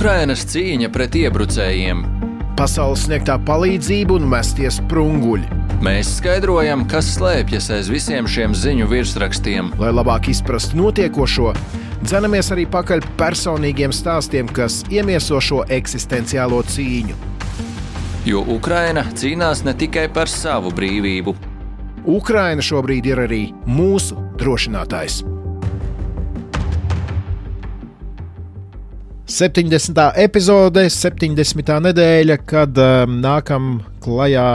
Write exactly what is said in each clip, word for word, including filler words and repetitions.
Ukrainas cīņa pret iebrucējiem. Pasaules sniegtā palīdzība un mestie sprunguļi. Mēs skaidrojam, kas slēpjas aiz visiem šiem ziņu virsrakstiem. Lai labāk izprastu notiekošo, dzenamies arī pakaļ personīgiem stāstiem, kas iemieso šo eksistenciālo cīņu. Jo Ukraina cīnās ne tikai par savu brīvību. Ukraina šobrīd ir arī mūsu drošinātājs. septiņdesmitā epizode, septiņdesmitā nedēļa, kad um, nākam klajā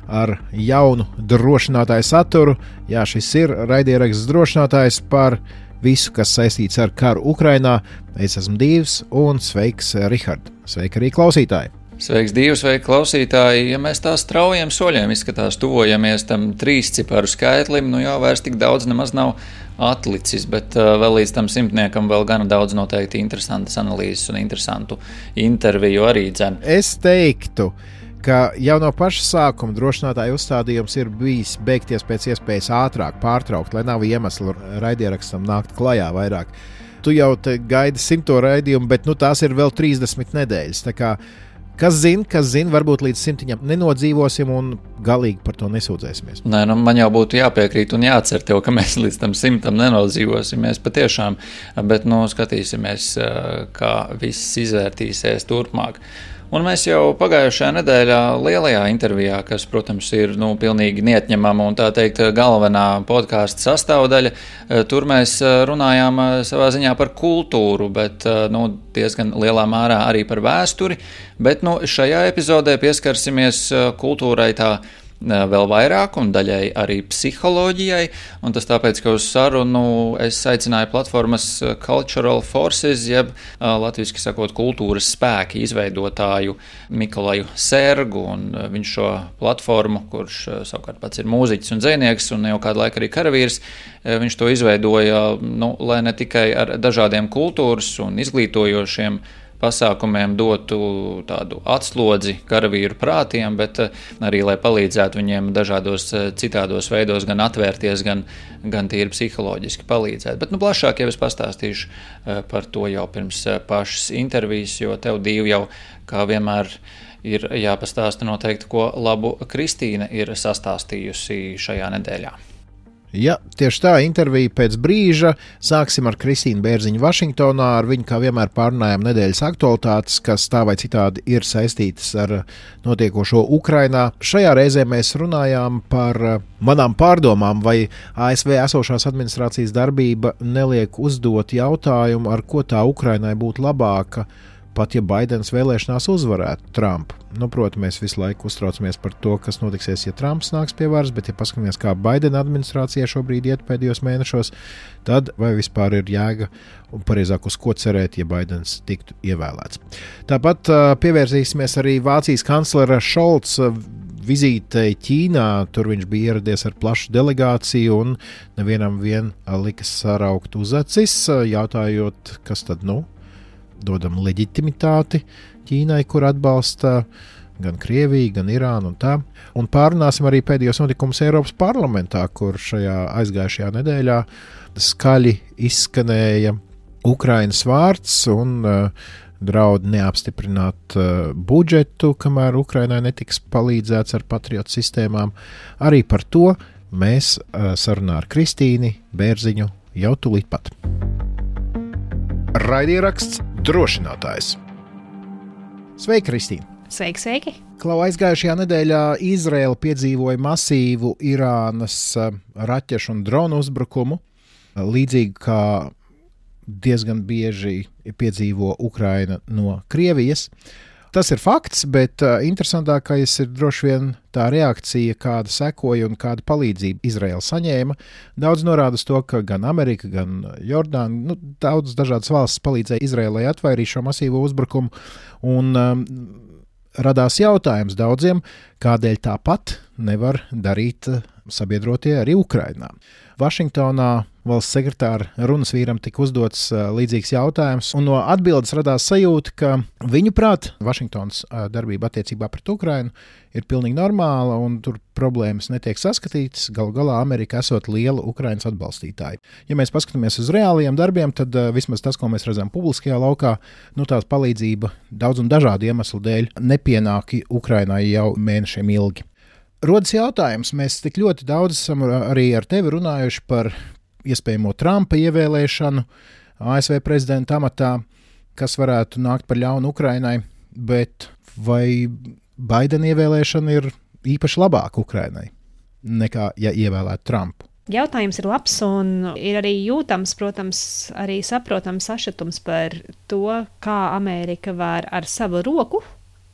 ar jaunu drošinātāju saturu. Jā, šis ir raidieraksts drošinātājs par visu, kas saistīts ar karu Ukrainā. Es esmu Dīvs un sveiks, Rihard. Sveiki arī klausītāji! Sveiks, Dīvs, sveiki, klausītāji! Ja mēs tā straujiem soļiem izskatās, tuvojamies tam trīs ciparu skaitlim, nu jau vairs tik daudz nemaz nav atlicis, bet uh, vēl līdz tam simtniekam vēl gana daudz noteikti interesantas analīzes un interesantu interviju arī dzen. Es teiktu, ka jau no paša sākuma drošinātāja uzstādījums ir bijis beigties pēc iespējas ātrāk, pārtraukt, lai nav iemeslu raidierakstam nākt klajā vairāk. Tu jau te gaidi simto raidījumu, bet nu, tās ir vēl trīsdesmit nedēļas. Tā kā, kas zina, kas zina, varbūt līdz simtiņam nenodzīvosim un galīgi par to nesūdzēsimies. Nē, nu, man jau būtu jāpiekrīt un jācer tev, ka mēs līdz tam simtam nenodzīvosimies patiešām, bet nu, skatīsimies, kā viss izvērtīsies turpmāk. Un mēs jau pagājušajā nedēļā lielajā intervijā, kas, protams, ir nu, pilnīgi neatņemama un tā teikt galvenā podkāsta sastāvdaļa, tur mēs runājām savā ziņā par kultūru, bet nu, diezgan lielā mērā arī par vēsturi, bet nu, šajā epizodē pieskarsimies kultūrai tā vēl vairāk un daļai arī psiholoģijai, un tas tāpēc, ka uz sarunu es aicināju platformas Cultural Forces, jeb latviski sakot kultūras spēki izveidotāju Mikolaju Sērgu, un viņš šo platformu, kurš savukārt pats ir mūziķis un dzejnieks un jau kādu laiku arī karavīrs, viņš to izveidoja, nu, lai ne tikai ar dažādiem kultūras un izglītojošiem pasākumiem dotu tādu atslodzi karavīru prātiem, bet arī, lai palīdzētu viņiem dažādos citādos veidos gan atvērties, gan, gan tīri psiholoģiski palīdzēt. Bet nu, plašāk jau es pastāstīšu par to jau pirms pašas intervijas, jo tev Dīvi jau, kā vienmēr, ir jāpastāsta noteikti, ko labu Kristīna ir sastāstījusi šajā nedēļā. Ja, tieši tā, intervija pēc brīža. Sāksim ar Kristīnu Bērziņu Vašingtonā. Ar viņu kā vienmēr pārunājam nedēļas aktualitātes, kas tā vai citādi ir saistītas ar notiekošo Ukrainā. Šajā reizē mēs runājām par manām pārdomām, vai A S V esošās administrācijas darbība neliek uzdot jautājumu, ar ko tā Ukrainai būtu labāka, pat ja Baidens vēlēšanās uzvarētu Trumpu. Nu, protams, mēs visu laiku uztraucamies par to, kas notiksies, ja Trumps nāks pie varas, bet ja paskatāmies, kā Baidena administrācija šobrīd iet pēdējos mēnešos, tad vai vispār ir jēga un pareizāk uz ko cerēt, ja Baidens tiktu ievēlēts. Tāpat uh, pievērsīsimies arī Vācijas kanclera Šolca vizītei Ķīnā. Tur viņš bija ieradies ar plašu delegāciju un nevienam vien likas saraukt uz acis, jautājot, kas tad nu? Dodam leģitimitāti Ķīnai, kur atbalsta gan Krieviju, gan Irānu un tā. Un pārunāsim arī pēdējos notikumus Eiropas parlamentā, kur šajā aizgājušajā nedēļā skaļi izskanēja Ukrainas vārds un uh, draud neapstiprināt uh, budžetu, kamēr Ukrainai netiks palīdzēts ar patriotu sistēmām. Arī par to mēs uh, sarunā ar Kristīni Bērziņu jau tūlīt pat. Raidieraksts drošinātājs. Sveiki, Kristīna! Sveiki, sveiki! Klau, aizgājušajā nedēļā Izraela piedzīvoja masīvu Irānas raķešu un dronu uzbrukumu, līdzīgi kā diezgan bieži piedzīvo Ukraina no Krievijas. Tas ir fakts, bet uh, interesantākais ir droši vien tā reakcija, kāda sekoja un kāda palīdzība Izraela saņēma. Daudz norāda uz to, ka gan Amerika, gan Jordāna, nu, daudz dažādas valstis palīdzēja Izraelai atvairīt šo masīvo uzbrukumu, un um, radās jautājums daudziem, kādēļ tāpat nevar darīt sabiedrotie arī Ukrainā. Vašingtonā valsts sekretāra runas vīram tika uzdots līdzīgs jautājums, un no atbildes radās sajūta, ka viņuprāt Vašingtonas darbība attiecībā pret Ukrainu ir pilnīgi normāla, un tur problēmas netiek saskatītas. Galu galā Amerika esot liela Ukrainas atbalstītāja. Ja mēs paskatāmies uz reālajiem darbiem, tad uh, vismaz tas, ko mēs redzam publiskajā laukā, nu tās palīdzība daudz un dažādu iemeslu dēļ nepienāk Ukrainai jau mēnešiem ilgi. Rodas jautājums, mēs tik ļoti daudz esam arī ar tevi runājuši par iespējamo Trumpa ievēlēšanu A S V prezidenta amatā, kas varētu nākt par ļaunu Ukrainai, bet vai Baidena ievēlēšana ir īpaši labāka Ukrainai nekā, ja ievēlētu Trumpu? Jautājums ir labs un ir arī jūtams, protams, arī saprotams sašutums par to, kā Amerika var ar savu roku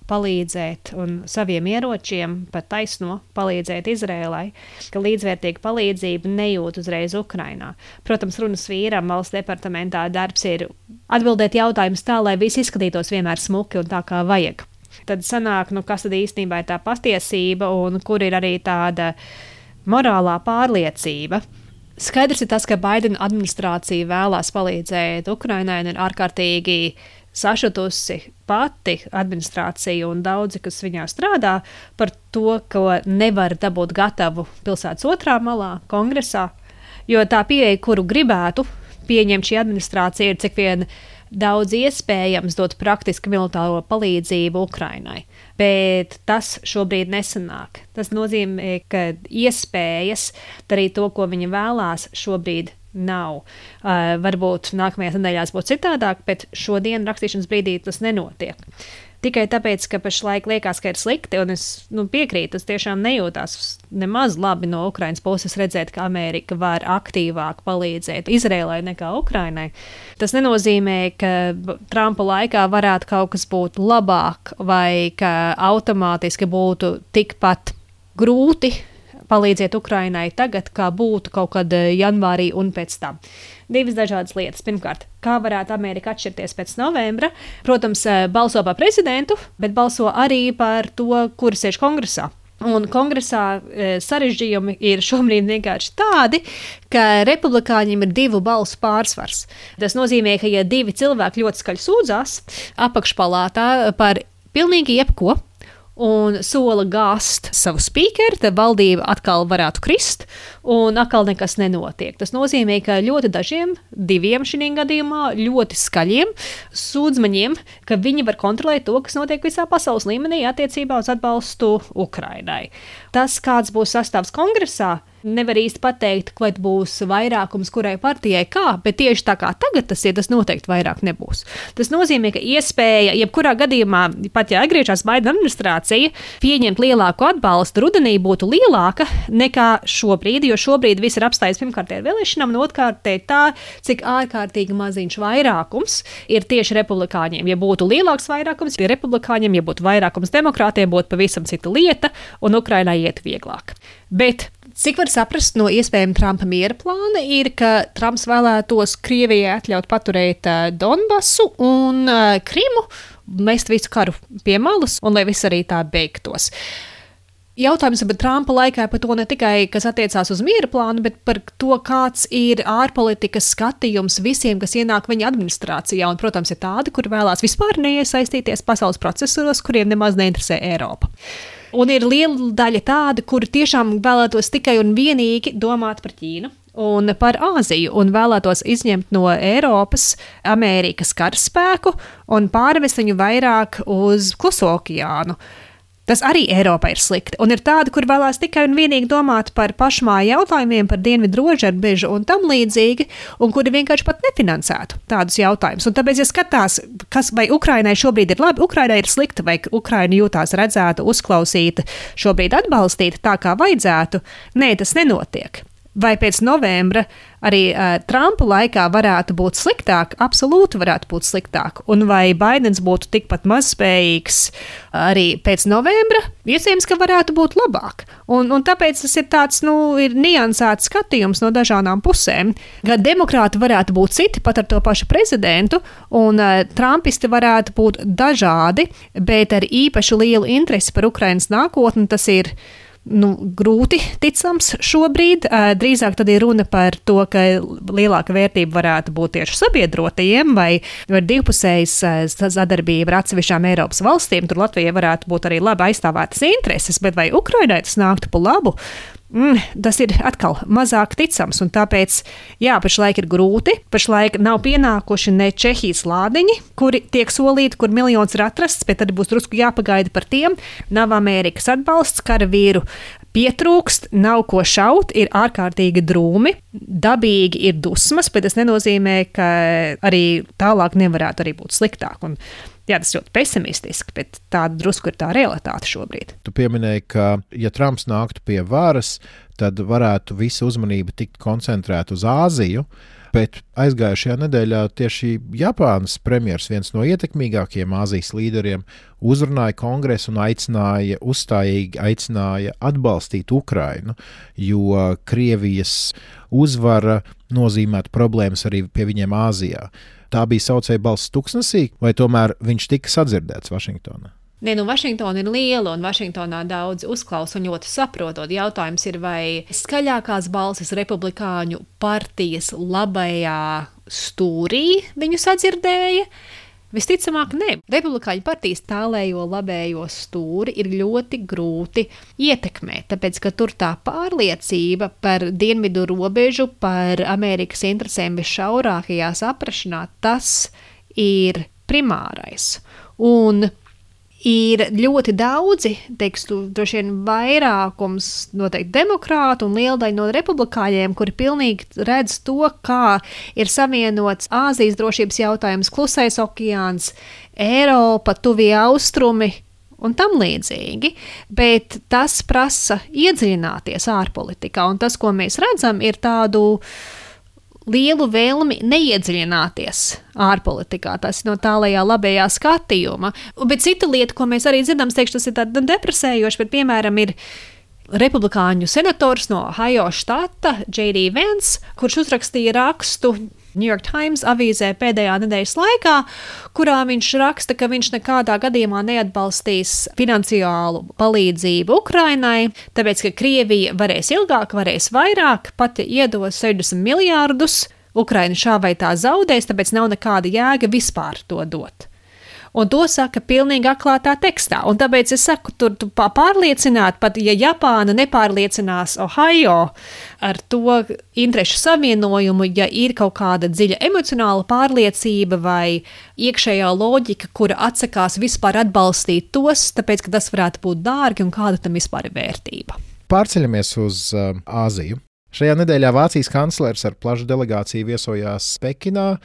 palīdzēt un saviem ieročiem pat taisno palīdzēt Izrēlai, ka līdzvērtīga palīdzība nejūt uzreiz Ukrainā. Protams, runas vīram valsts departamentā darbs ir atbildēt jautājumus tā, lai viss izskatītos vienmēr smuki un tā kā vajag. Tad sanāk, nu, kas tad īstenībā ir tā patiesība un kur ir arī tāda morālā pārliecība. Skaidrs ir tas, ka Baidena administrācija vēlās palīdzēt Ukrainai un ir ārkārtīgi sašutusi pati administrācija un daudzi, kas viņā strādā, par to, ko nevar dabūt gatavu pilsētas otrā malā, kongresā, jo tā pieeja, kuru gribētu pieņemt šī administrācija, ir cik vien daudz iespējams dot praktiski militāro palīdzību Ukrainai, bet tas šobrīd nesanāk. Tas nozīmē, ka iespējas darīt to, ko viņa vēlās, šobrīd nav. Uh, varbūt nākamajās nedēļās būs citādāk, bet šodien rakstīšanas brīdī tas nenotiek. Tikai tāpēc, ka pašlaik liekas, ka ir slikti, un es nu, piekrītu, tas tiešām nejūtās nemaz labi no Ukrainas puses redzēt, ka Amerika var aktīvāk palīdzēt Izrēlai nekā Ukrainai. Tas nenozīmē, ka Trumpa laikā varētu kaut kas būt labāk vai ka automātiski būtu tikpat grūti palīdziet Ukrainai tagad, kā būtu kaut kad janvārī un pēc tam. Divas dažādas lietas. Pirmkārt, kā varētu Amerika atšķirties pēc novembra? Protams, balso par prezidentu, bet balso arī par to, kur sēž kongresā. Un kongresā e, sarežģījumi ir šobrīd vienkārši tādi, ka republikāņiem ir divu balsu pārsvars. Tas nozīmē, ka ja divi cilvēki ļoti skaļi sūdzās apakšpalātā par pilnīgi jebko, un sola gāzt savu spīkeru, tad valdība atkal varētu krist, un atkal nekas nenotiek. Tas nozīmē, ka ļoti dažiem, diviem šī gadījumā, ļoti skaļiem sūdzmaņiem, ka viņi var kontrolēt to, kas notiek visā pasaules līmenī attiecībā uz atbalstu Ukrainai. Tas, kāds būs sastāvs kongresā, nevar īsti pateikt, vai būs vairākums kurai partijai kā, bet tieši tā kā tagad tas ir, tas noteikti vairāk nebūs. Tas nozīmē, ka iespēja, jebkurā gadījumā, pat ja atgriežas Baidena administrācija, pieņemt lielāku atbalstu rudenī būtu lielāka nekā šobrīd, jo šobrīd viss ir apstājies pirmkārt ar vēlēšanām, un otrkārt tā, cik ārkārtīgi maziņš vairākums ir tieši republikāņiem. Ja būtu lielāks vairākums ir republikāņiem, ja būtu vairākums demokrātiem, būtu pavisam cita lieta, un Ukrainai iet vieglāk. Bet cik var saprast no iespējama Trumpa miera plāna ir, ka Trumps vēlētos Krievijai atļaut paturēt uh, Donbasu un uh, Krimu, mest visu karu pie malas un lai viss arī tā beigtos. Jautājums par Trumpa laikā par to ne tikai, kas attiecās uz miera plānu, bet par to, kāds ir ārpolitikas skatījums visiem, kas ienāk viņa administrācijā. Un, protams, ir tādi, kur vēlās vispār neiesaistīties pasaules procesos, kuriem nemaz neinteresē Eiropa. Un ir liela daļa tāda, kuri tiešām vēlētos tikai un vienīgi domāt par Ķīnu un par Āziju un vēlētos izņemt no Eiropas Amerikas karaspēku un pārvest viņu vairāk uz Kluso okeānu. Tas arī Eiropā ir slikti. Un ir tādi, kur vēlās tikai un vienīgi domāt par pašmāju jautājumiem, par dienvidu rožarbežu un tam līdzīgi, un kuri vienkārši pat nefinansētu tādus jautājumus. Un tāpēc, ja skatās, kas vai Ukrainai šobrīd ir labi, Ukrainai ir slikta, vai Ukraina jūtās redzēta, uzklausīta, šobrīd atbalstīta tā, kā vajadzētu, nē, tas nenotiek. Vai pēc novembra arī uh, Trumpa laikā varētu būt sliktāk? Absolūti varētu būt sliktāk. Un vai Baidens būtu tikpat mazspējīgs arī pēc novembra? Iespējams, ka varētu būt labāk. Un, un tāpēc tas ir tāds, nu, ir niansēts skatījums no dažādām pusēm. Gan demokrāti varētu būt citi, pat ar to pašu prezidentu, un uh, trumpisti varētu būt dažādi, bet ar īpaši lielu interesi par Ukrainas nākotni tas ir nu, grūti ticams šobrīd. Drīzāk tad ir runa par to, ka lielāka vērtība varētu būt tieši sabiedrotajiem vai, vai divpusējas sadarbība ar atsevišķām Eiropas valstīm. Tur Latvijai varētu būt arī labi aizstāvētas intereses, bet vai Ukrainai tas nāktu pa labu? Mm, tas ir atkal mazāk ticams, un tāpēc, jā, pašlaik ir grūti. Pašlaik nav pienākuši ne Čehijas lādiņi, kuri tiek solīti, kur miljons ir atrasts, bet tad būs drusku jāpagaida par tiem. Nav Amerikas atbalsts, karavīru pietrūkst, nav ko šaut, ir ārkārtīgi drūmi, dabīgi ir dusmas, bet tas nenozīmē, ka arī tālāk nevarētu arī būt sliktāk. Un, jā, tas ļoti pesimistiski, bet tāda drusku ir tā realitāte šobrīd. Tu pieminēji, ka, ja Trumps nāktu pie varas, tad varētu visa uzmanība tikt koncentrēta uz Āziju, bet aizgājušajā nedēļā tieši Japānas premjers, viens no ietekmīgākajiem Āzijas līderiem, uzrunāja kongresu un aicināja, uzstājīgi aicināja atbalstīt Ukrainu, jo Krievijas uzvara nozīmētu problēmas arī pie viņiem Āzijā. Tā bija saucēja balss tuksnesī, vai tomēr viņš tika sadzirdēts Vašingtonā? Nē, nu Vašingtona ir liela un Vašingtonā daudz uzklausa un ļoti saprotot. Jautājums ir, vai skaļākās balsis republikāņu partijas labajā stūrī viņu sadzirdēja? Visticamāk, ne. Republikāņu partijas tālējo labējo stūri ir ļoti grūti ietekmēt, tāpēc, ka tur tā pārliecība par dienvidu robežu, par Amerikas interesēm visšaurākajās aprašanā, tas ir primārais. Un ir ļoti daudzi, teikstu, droši vien vairākums noteikti demokrātu un liela daļa no republikāņiem, kuri pilnīgi redz to, kā ir savienots Āzijas drošības jautājums, Klusais okeāns, Eiropa, Tuvie austrumi un tam līdzīgi. Bet tas prasa iedziļināties ārpolitikā, un tas, ko mēs redzam, ir tādu lielu vēlmi neiedziļināties ārpolitikā. Tas ir no tālajā labējā skatījuma. Bet cita lieta, ko mēs arī dzirdam, teikšu, tas ir tāda depresējoši, bet, piemēram, ir republikāņu senators no Ohio štata, J D Vance, kurš uzrakstīja rakstu New York Times avīzē pēdējā nedēļas laikā, kurā viņš raksta, ka viņš nekādā gadījumā neatbalstīs finansiālu palīdzību Ukrainai, tāpēc, ka Krievija varēs ilgāk, varēs vairāk, pati iedos sešdesmit miljārdus, Ukraina šā vai tā zaudēs, tāpēc nav nekāda jēga vispār to dot. Un to saka pilnīgi atklātā tekstā. Un tāpēc es saku, tur tu pārliecināt, pat ja Japāna nepārliecinās Ohio ar to interešu savienojumu, ja ir kaut kāda dziļa emocionāla pārliecība vai iekšējā loģika, kura atsakās vispār atbalstīt tos, tāpēc, ka tas varētu būt dārgi un kāda tam vispār ir vērtība. Pārceļamies uz uh, Āziju. Šajā nedēļā Vācijas kanclers ar plašu delegāciju viesojās Pekinā,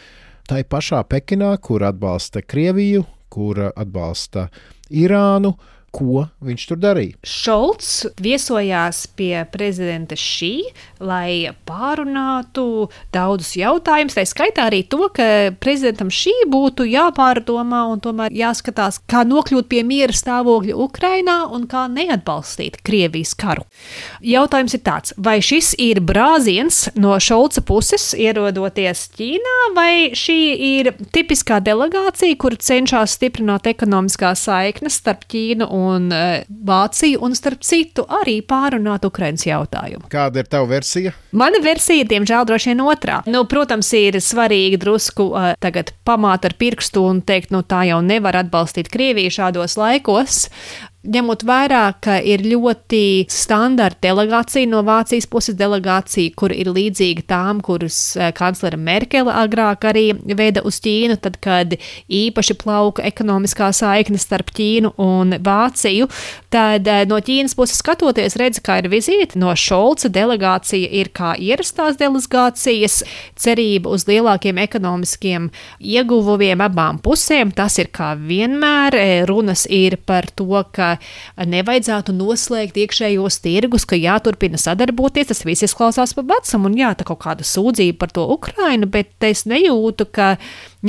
tai pašā Pekinā, kur atbalsta Krieviju, kur atbalsta Irānu. Ko viņš tur darīja? Šolts viesojās pie prezidenta Šī, lai pārunātu daudzus jautājumus. Tā skaitā arī to, ka prezidentam Šī būtu jāpārdomā un tomēr jāskatās, kā nokļūt pie miera stāvokļa Ukrainā un kā neatbalstīt Krievijas karu. Jautājums ir tāds, vai šis ir brāziens no Šolca puses ierodoties Ķīnā, vai šī ir tipiskā delegācija, kur cenšas stiprināt ekonomiskās saiknes starp Ķīnu un Vāciju, un starp citu arī pārunāt Ukrainas jautājumu. Kāda ir tava versija? Mana versija, diemžēl, droši vien otrā. Nu, protams, ir svarīgi drusku uh, tagad pamāt ar pirkstu un teikt, nu tā jau nevar atbalstīt Krieviju šādos laikos. Ņemot vērā, ka ir ļoti standarta delegācija no Vācijas puses delegācija, kur ir līdzīga tām, kuras kanclere Merkele agrāk arī veda uz Ķīnu, tad, kad īpaši plauka ekonomiskā saikne starp Ķīnu un Vāciju, tad no Ķīnas puses skatoties redz, kā ir vizīte, no Šolca delegācija ir kā ierastās delegācijas, cerība uz lielākiem ekonomiskiem ieguvumiem abām pusēm, tas ir kā vienmēr, runas ir par to, ka nevajadzētu noslēgt iekšējos tirgus, ka jāturpina sadarboties, tas viss izklausās pa vecam un jā, tā kaut kāda sūdzība par to Ukrainu, bet es nejūtu, ka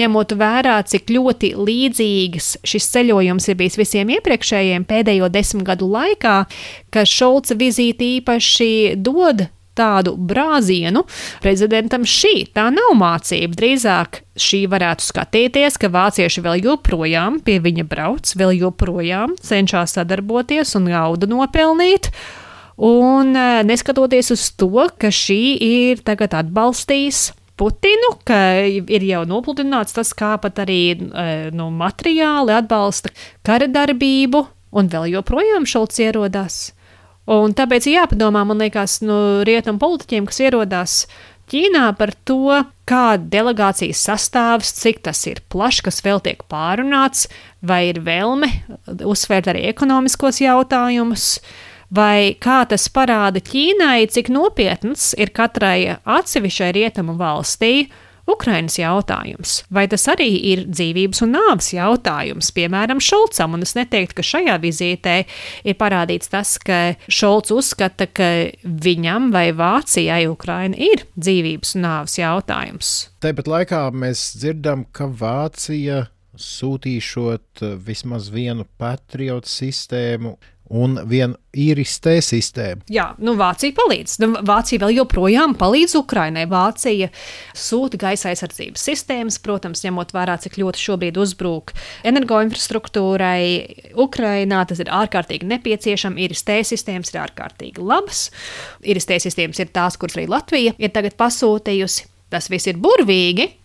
ņemot vērā, cik ļoti līdzīgs šis ceļojums ir bijis visiem iepriekšējiem pēdējo desmit gadu laikā, ka Šolca vizīte īpaši dod tādu brāzienu prezidentam Šī. Tā nav mācība. Drīzāk Šī varētu skatīties, ka vācieši vēl joprojām pie viņa brauc, vēl joprojām cenšas sadarboties un naudu nopelnīt. Un neskatoties uz to, ka šī ir tagad atbalstījis Putinu, ka ir jau nopludināts tas, kā pat arī nu, materiāli atbalsta kara darbību, un vēl joprojām Šolts ierodās. Un tāpēc ir jāpadomā, man liekas, nu, rietumu politiķiem, kas ierodās Ķīnā par to, kā delegācijas sastāvs, cik tas ir plašs, kas vēl tiek pārunāts, vai ir vēlme uzsvērt arī ekonomiskos jautājumus, vai kā tas parāda Ķīnai, cik nopietns ir katrai atsevišķai rietumu valstī Ukrainas jautājums. Vai tas arī ir dzīvības un nāves jautājums, piemēram, Šolcam, un es neteiktu, ka šajā vizītē ir parādīts tas, ka Šolts uzskata, ka viņam vai Vācijai Ukraina ir dzīvības un nāves jautājums. Tāpat laikā mēs dzirdam, ka Vācija sūtīšot vismaz vienu Patriot sistēmu un vienu īristē sistēmu. Jā, nu Vācija palīdz. Nu, Vācija vēl joprojām palīdz Ukrainai. Vācija sūta gaisa aizsardzības sistēmas, protams, ņemot vērā, cik ļoti šobrīd uzbrūk energoinfrastruktūrai Ukrainā. Tas ir ārkārtīgi nepieciešams. Īristē sistēmas ir ārkārtīgi labas. Īristē sistēmas ir tās, kuras arī Latvija ir tagad pasūtījusi. Tas viss ir burvīgi,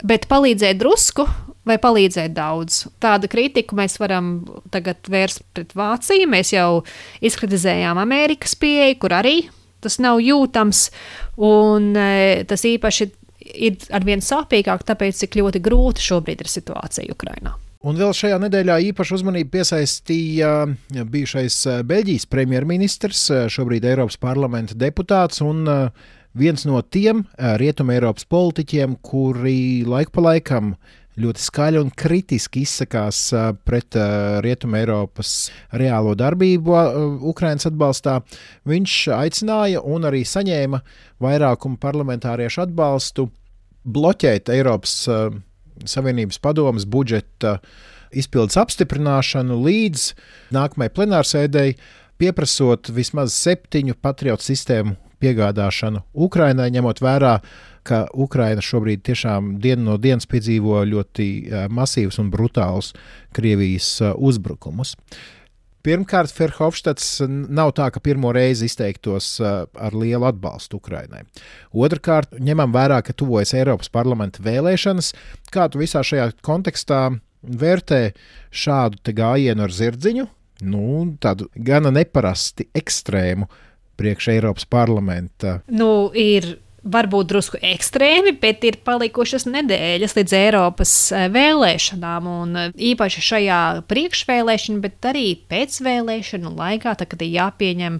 bet palīdzēt drusku vai palīdzēt daudz. Tādu kritiku mēs varam tagad vērst pret Vāciju. Mēs jau izkritizējām Amerikas pieeju, kur arī tas nav jūtams, un e, tas īpaši ir arvien sāpīgāk, tāpēc, cik ļoti grūti šobrīd ir situācija Ukrainā. Un vēl šajā nedēļā īpašu uzmanību piesaistīja bijušais Beļģijas premjerministrs, šobrīd Eiropas parlamenta deputāts un viens no tiem Rietuma Eiropas politiķiem, kuri laiku pa laikam ļoti skaļi un kritiski izsakās pret Rietuma Eiropas reālo darbību Ukrainas atbalstā. Viņš aicināja un arī saņēma vairākumu parlamentāriešu atbalstu bloķēt Eiropas Savienības padomes budžeta izpildes apstiprināšanu līdz nākamajai plenārsēdei, pieprasot vismaz septiņu Patriot sistēmu piegādāšanu Ukrainai, ņemot vērā, ka Ukraina šobrīd tiešām dienu no dienas piedzīvo ļoti masīvus un brutālus Krievijas uzbrukumus. Pirmkārt, Ferhofštats nav tā, ka pirmo reizi izteiktos ar lielu atbalstu Ukrainai. Otrkārt, ņemam vērā, ka tuvojas Eiropas parlamenta vēlēšanas. Kā tu visā šajā kontekstā vērtē šādu te gājienu ar zirdziņu, nu, tādu gana neparasti ekstrēmu priekš Eiropas parlamenta? Nu, ir varbūt drusku ekstrēmi, bet ir palikušas nedēļas līdz Eiropas vēlēšanām, un īpaši šajā priekšvēlēšanu, bet arī pēcvēlēšanu laikā, tā, kad ir jāpieņem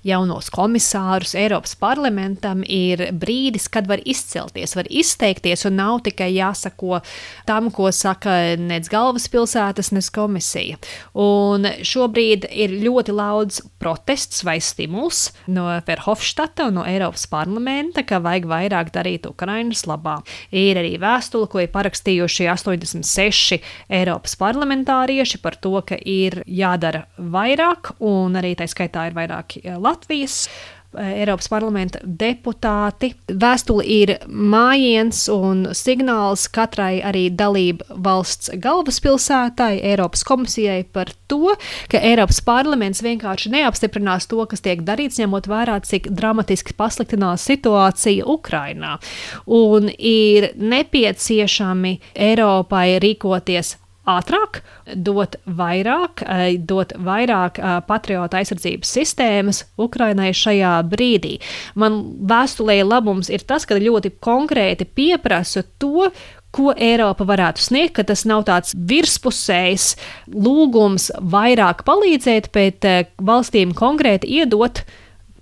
jaunos komisārus Eiropas parlamentam, ir brīdis, kad var izcelties, var izteikties, un nav tikai jāsako tam, ko saka nec galvaspilsētas, nec komisija. Un šobrīd ir ļoti daudz protests vai stimuls no Verhofstadta un no Eiropas parlamenta, ka vajag vairāk darīt Ukrainas labā. Ir arī vēstule, ko ir parakstījuši astoņdesmit seši Eiropas parlamentārieši par to, ka ir jādara vairāk, un arī tā skaitā ir vairāk Latvijas Eiropas parlamenta deputāti. Vēstule ir mājiens un signāls katrai arī dalību valsts galvaspilsētai, Eiropas komisijai par to, ka Eiropas parlaments vienkārši neapstiprinās to, kas tiek darīts, ņemot vērā, cik dramatiski pasliktinās situācija Ukrainā. Un ir nepieciešami Eiropai rīkoties ātrāk, dot vairāk, dot vairāk patriota aizsardzības sistēmas Ukrainai šajā brīdī. Man vēstulē labums ir tas, ka ļoti konkrēti pieprasa to, ko Eiropa varētu sniegt, ka tas nav tāds virspusējs lūgums vairāk palīdzēt, bet valstīm konkrēti iedot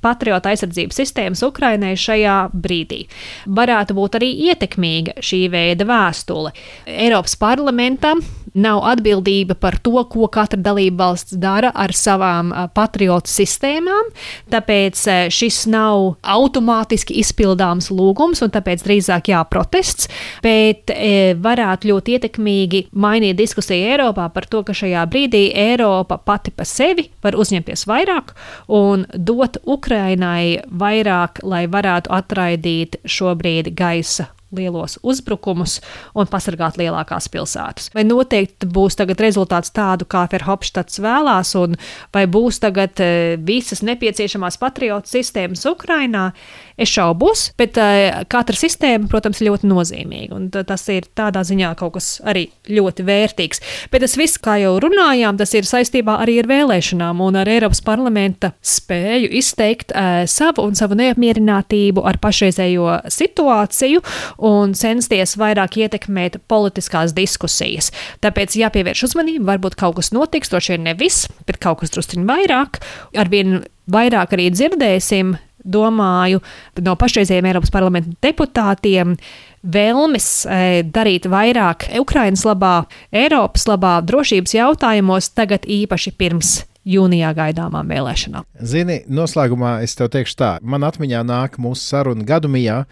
patriota aizsardzības sistēmas Ukrainai šajā brīdī. Varētu būt arī ietekmīga šī veida vēstule. Eiropas parlamentam nav atbildība par to, ko katra dalība valsts dara ar savām patriotu sistēmām, tāpēc šis nav automātiski izpildāms lūgums, un tāpēc drīzāk jāprotests, bet varētu ļoti ietekmīgi mainīt diskusiju Eiropā par to, ka šajā brīdī Eiropa pati pa sevi var uzņemties vairāk un dot Ukrainai vairāk, lai varētu atraidīt šobrīd gaisa lielos uzbrukumus un pasargāt lielākās pilsētas. Vai noteikti būs tagad rezultāts tādu, kā Verhofstadts vēlās, un vai būs tagad visas nepieciešamās patriotu sistēmas Ukrainā? Es šaubos, bet katra sistēma, protams, ir ļoti nozīmīga, un tas ir tādā ziņā kaut kas arī ļoti vērtīgs. Bet tas viss, kā jau runājām, tas ir saistībā arī ar vēlēšanām un ar Eiropas parlamenta spēju izteikt uh, savu un savu neapmierinātību ar pašreizējo situāciju un censties vairāk ietekmēt politiskās diskusijas. Tāpēc jāpievērš uzmanība, varbūt kaut kas notiks, to šeit ne viss, bet kaut kas drusciņ vairāk. Arvien vairāk arī dzirdēsim, domāju, no pašreizējiem Eiropas parlamenta deputātiem vēlmes e, darīt vairāk Ukrainas labā, Eiropas labā, drošības jautājumos, tagad īpaši pirms jūnijā gaidāmām vēlēšanām. Zini, noslēgumā es tev teikšu tā, man atmiņā nāk mūsu saruna gadumijā,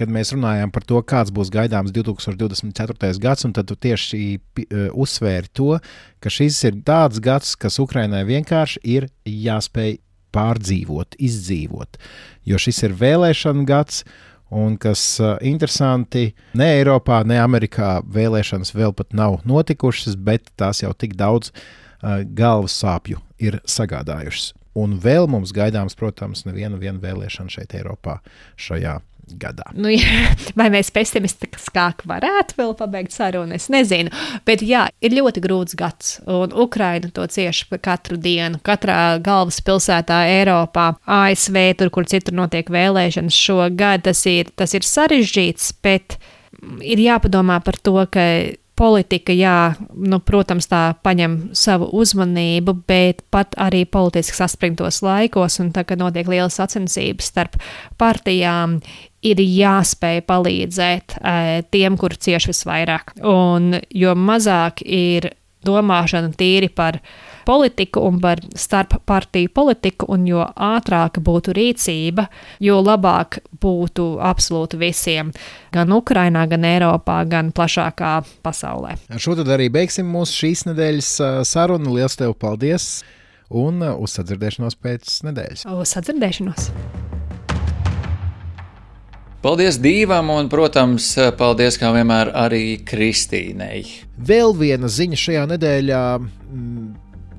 kad mēs runājām par to, kāds būs gaidāms divtūkstoš divdesmit ceturtais gads, un tad tu tieši uh, uzsvēri to, ka šis ir tāds gads, kas Ukrainai vienkārši ir jāspēj pārdzīvot, izdzīvot, jo šis ir vēlēšana gads, un kas uh, interesanti, ne Eiropā, ne Amerikā vēlēšanas vēl pat nav notikušas, bet tās jau tik daudz uh, galvas sāpju ir sagādājušas. Un vēl mums gaidāms, protams, neviena viena vēlēšana šeit Eiropā šajā gadā. Nu, jā, vai mēs pesimistiskāk varētu vēl pabeigt sarunu, es nezinu. Bet jā, ir ļoti grūts gads, un Ukraina to cieš katru dienu. Katrā galvaspilsētā Eiropā, A S V, tur, kur citur notiek vēlēšanas šogad, tas ir, tas ir sarežģīts, bet ir jāpadomā par to, ka politika, jā, nu, protams, tā paņem savu uzmanību, bet pat arī politiski saspringtos laikos, un tā, kad notiek lielas sacensības starp partijām, ir jāspēj palīdzēt e, tiem, kur cieš visvairāk. Un jo mazāk ir domāšana tīri par politiku un par starp partiju politiku, un jo ātrāka būtu rīcība, jo labāk būtu absolūti visiem, gan Ukrainā, gan Eiropā, gan plašākā pasaulē. Ar šo tad arī beigsim mūsu šīs nedēļas sarunu. Liels tev paldies un uz sadzirdēšanos pēc nedēļas. Uz sadzirdēšanos! Paldies Dīvam un, protams, paldies kā vienmēr arī Kristīnei. Vēl viena ziņa šajā nedēļā.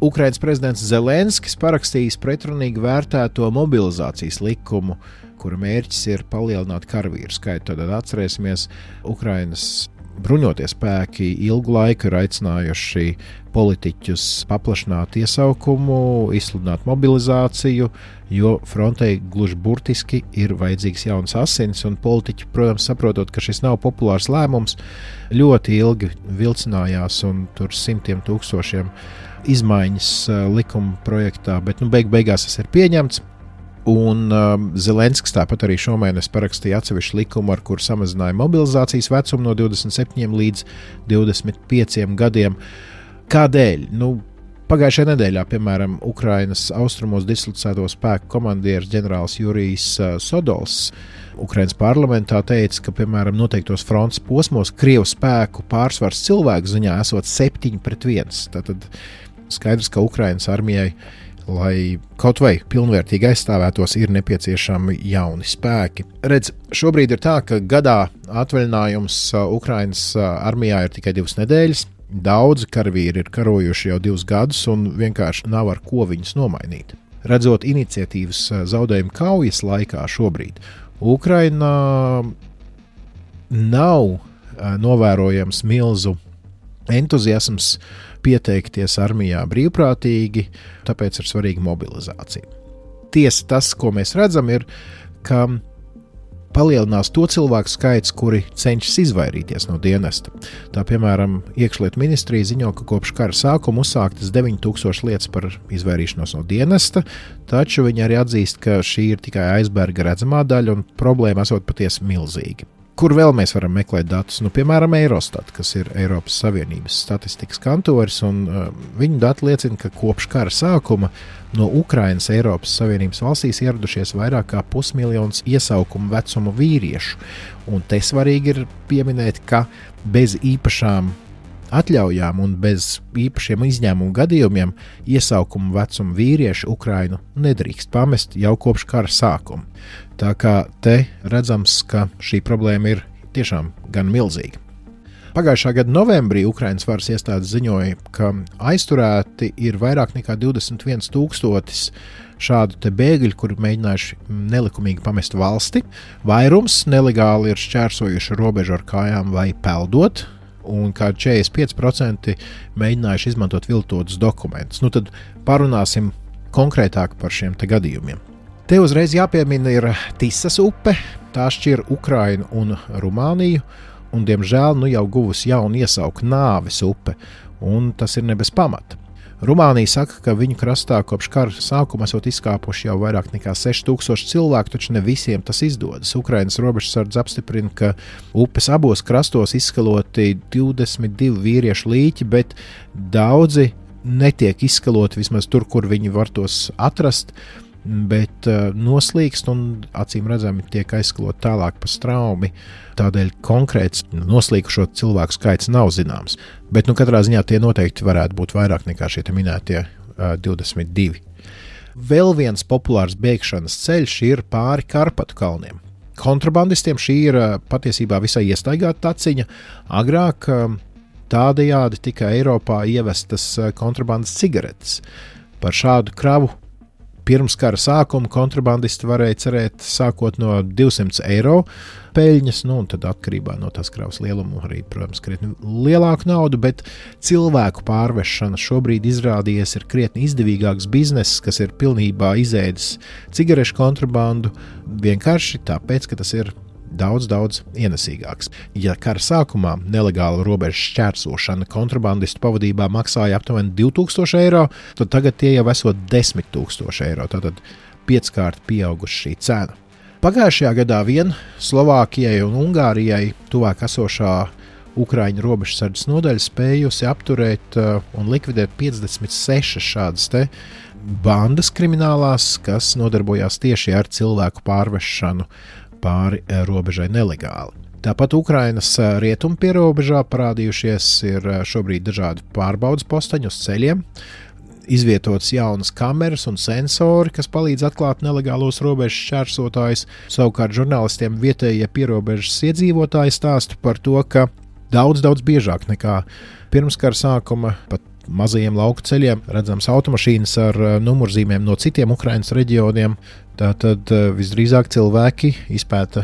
Ukrainas prezidents Zelenskis parakstījis pretrunīgi vērtēto mobilizācijas likumu, kura mērķis ir palielināt karavīru skaitu. Tad atcerēsimies, Ukrainas bruņotie spēki ilgu laiku ir aicinājuši politiķus paplašināt iesaukumu, izsludināt mobilizāciju, jo frontei gluži burtiski ir vajadzīgs jauns asins, un politiķi, protams, saprotot, ka šis nav populārs lēmums, ļoti ilgi vilcinājās, un tur simtiem tūkstošiem izmaiņas likuma projektā, bet nu, beig beigās tas ir pieņemts. Un um, Zelenskis tāpat arī šomēnes parakstīja atsevišķu likumu, ar kuru samazināja mobilizācijas vecumu no divdesmit septiņiem līdz divdesmit pieciem gadiem. Kādēļ? Nu, pagājušajā nedēļā, piemēram, Ukrainas austrumos dislocēto spēku komandieris ģenerālis Jurijs uh, Sodols Ukrainas parlamentā teica, ka, piemēram, noteiktos frontes posmos Krievu spēku pārsvars cilvēku ziņā esot septiņi pret viens. Tātad skaidrs, ka Ukrainas armijai, lai kaut vai pilnvērtīgi aizstāvētos, ir nepieciešami jauni spēki. Redz, šobrīd ir tā, ka gadā atvaļinājums Ukrainas armijā ir tikai divas nedēļas. Daudzi karavīri ir karojuši jau divus gadus un vienkārši nav ar ko viņus nomainīt. Redzot iniciatīvas zaudējumu kaujas laikā šobrīd, Ukrainā nav novērojams milzu entuziasms pieteikties armijā brīvprātīgi, tāpēc ir svarīga mobilizācija. Tiesa, tas, ko mēs redzam, ir, ka palielinās to cilvēku skaits, kuri cenšas izvairīties no dienesta. Tā, piemēram, iekšlietu ministrija ziņo, ka kopš kara sākuma uzsāktas deviņi tūkstoši lietas par izvairīšanos no dienesta, taču viņi arī atzīst, ka šī ir tikai aizberga redzamā daļa un problēma esot patiesi milzīga. Kur vēl mēs varam meklēt datus? Nu, piemēram, Eurostat, kas ir Eiropas Savienības statistikas kantoris, un uh, viņu dati liecina, ka kopš kara sākuma no Ukrainas Eiropas Savienības valstīs ieradušies vairāk kā pusmiljons iesaukumu vecumu vīriešu. Un te svarīgi ir pieminēt, ka bez īpašām atļaujām un bez īpašiem izņēmumu gadījumiem iesaukumu vecumu vīrieši Ukrainu nedrīkst pamest jau kopš kara sākuma. Tā kā te redzams, ka šī problēma ir tiešām gan milzīga. Pagājušā gada novembrī Ukrainas varas iestādes ziņoja, ka aizturēti ir vairāk nekā divdesmit viens tūkstotis šādu te bēgļu, kuri mēģinājuši nelikumīgi pamest valsti. Vairums nelegāli ir šķērsojuši robežu ar kājām vai peldot, un kā četrdesmit pieci procenti mēģinājuši izmantot viltotus dokumentus. Nu tad parunāsim konkrētāk par šiem te gadījumiem. Te uzreiz jāpiemina ir Tisas upe, tā šķir Ukrainu un Rumāniju, un, diemžēl, nu jau guvusi jaunu iesauku Nāves upe, un tas ir ne bez pamata. Rumānija saka, ka viņu krastā kopš kara sākuma esot izkāpuši jau vairāk nekā seši tūkstoši cilvēku, taču ne visiem tas izdodas. Ukrainas robežsardze apstiprina, ka upes abos krastos izskaloti divdesmit divi vīriešu līķi, bet daudzi netiek izskaloti vismaz tur, kur viņi var tos atrast, bet uh, noslīkst un acīm redzami tiek aizskalot tālāk pa straumi. Tādēļ konkrēts noslīkušo cilvēku skaits nav zināms. Bet nu, katrā ziņā tie noteikti varētu būt vairāk nekā šie minētie uh, divdesmit divi. Vēl viens populārs bēgšanas ceļš ir pāri Karpatu kalniem. Kontrabandistiem šī ir uh, patiesībā visai iestaigāta taciņa. Agrāk uh, tādējādi tika Eiropā ievestas uh, kontrabandas cigaretes. Par šādu kravu pirms kara sākuma kontrabandisti varēja cerēt sākot no divsimt eiro peļņas, nu un tad atkarībā no tās kravas lieluma arī, protams, krietni lielāku naudu, bet cilvēku pārvešana šobrīd izrādījies ir krietni izdevīgāks bizness, kas ir pilnībā izēdis cigarešu kontrabandu, vienkārši tāpēc, ka tas ir daudz, daudz ienesīgāks. Ja kara sākumā nelegāla robežu šķērsošana kontrabandistu pavadībā maksāja aptuveni divi tūkstoši eiro, tad tagad tie jau esot desmit tūkstoši eiro, tātad pieckārt pieauguši šī cena. Pagājušajā gadā vien Slovākijai un Ungārijai tuvāk esošā Ukraiņu robežsardzes nodaļa spējusi apturēt uh, un likvidēt piecdesmit sešas šādas te bandas kriminālās, kas nodarbojās tieši ar cilvēku pārvešanu pāri robežai nelegāli. Tāpat Ukrainas rietumu pierobežā parādījušies ir šobrīd dažādi pārbaudas postaņi uz ceļiem, izvietotas jaunas kameras un sensori, kas palīdz atklāt nelegālos robežas šķērsotājus. Savukārt žurnālistiem vietējie pierobežas iedzīvotāji stāsta par to, ka daudz, daudz biežāk nekā pirms kara sākuma pat mazajiem lauku ceļiem redzams automašīnas ar numurzīmēm no citiem Ukrainas reģioniem. Tātad visdrīzāk cilvēki izpēta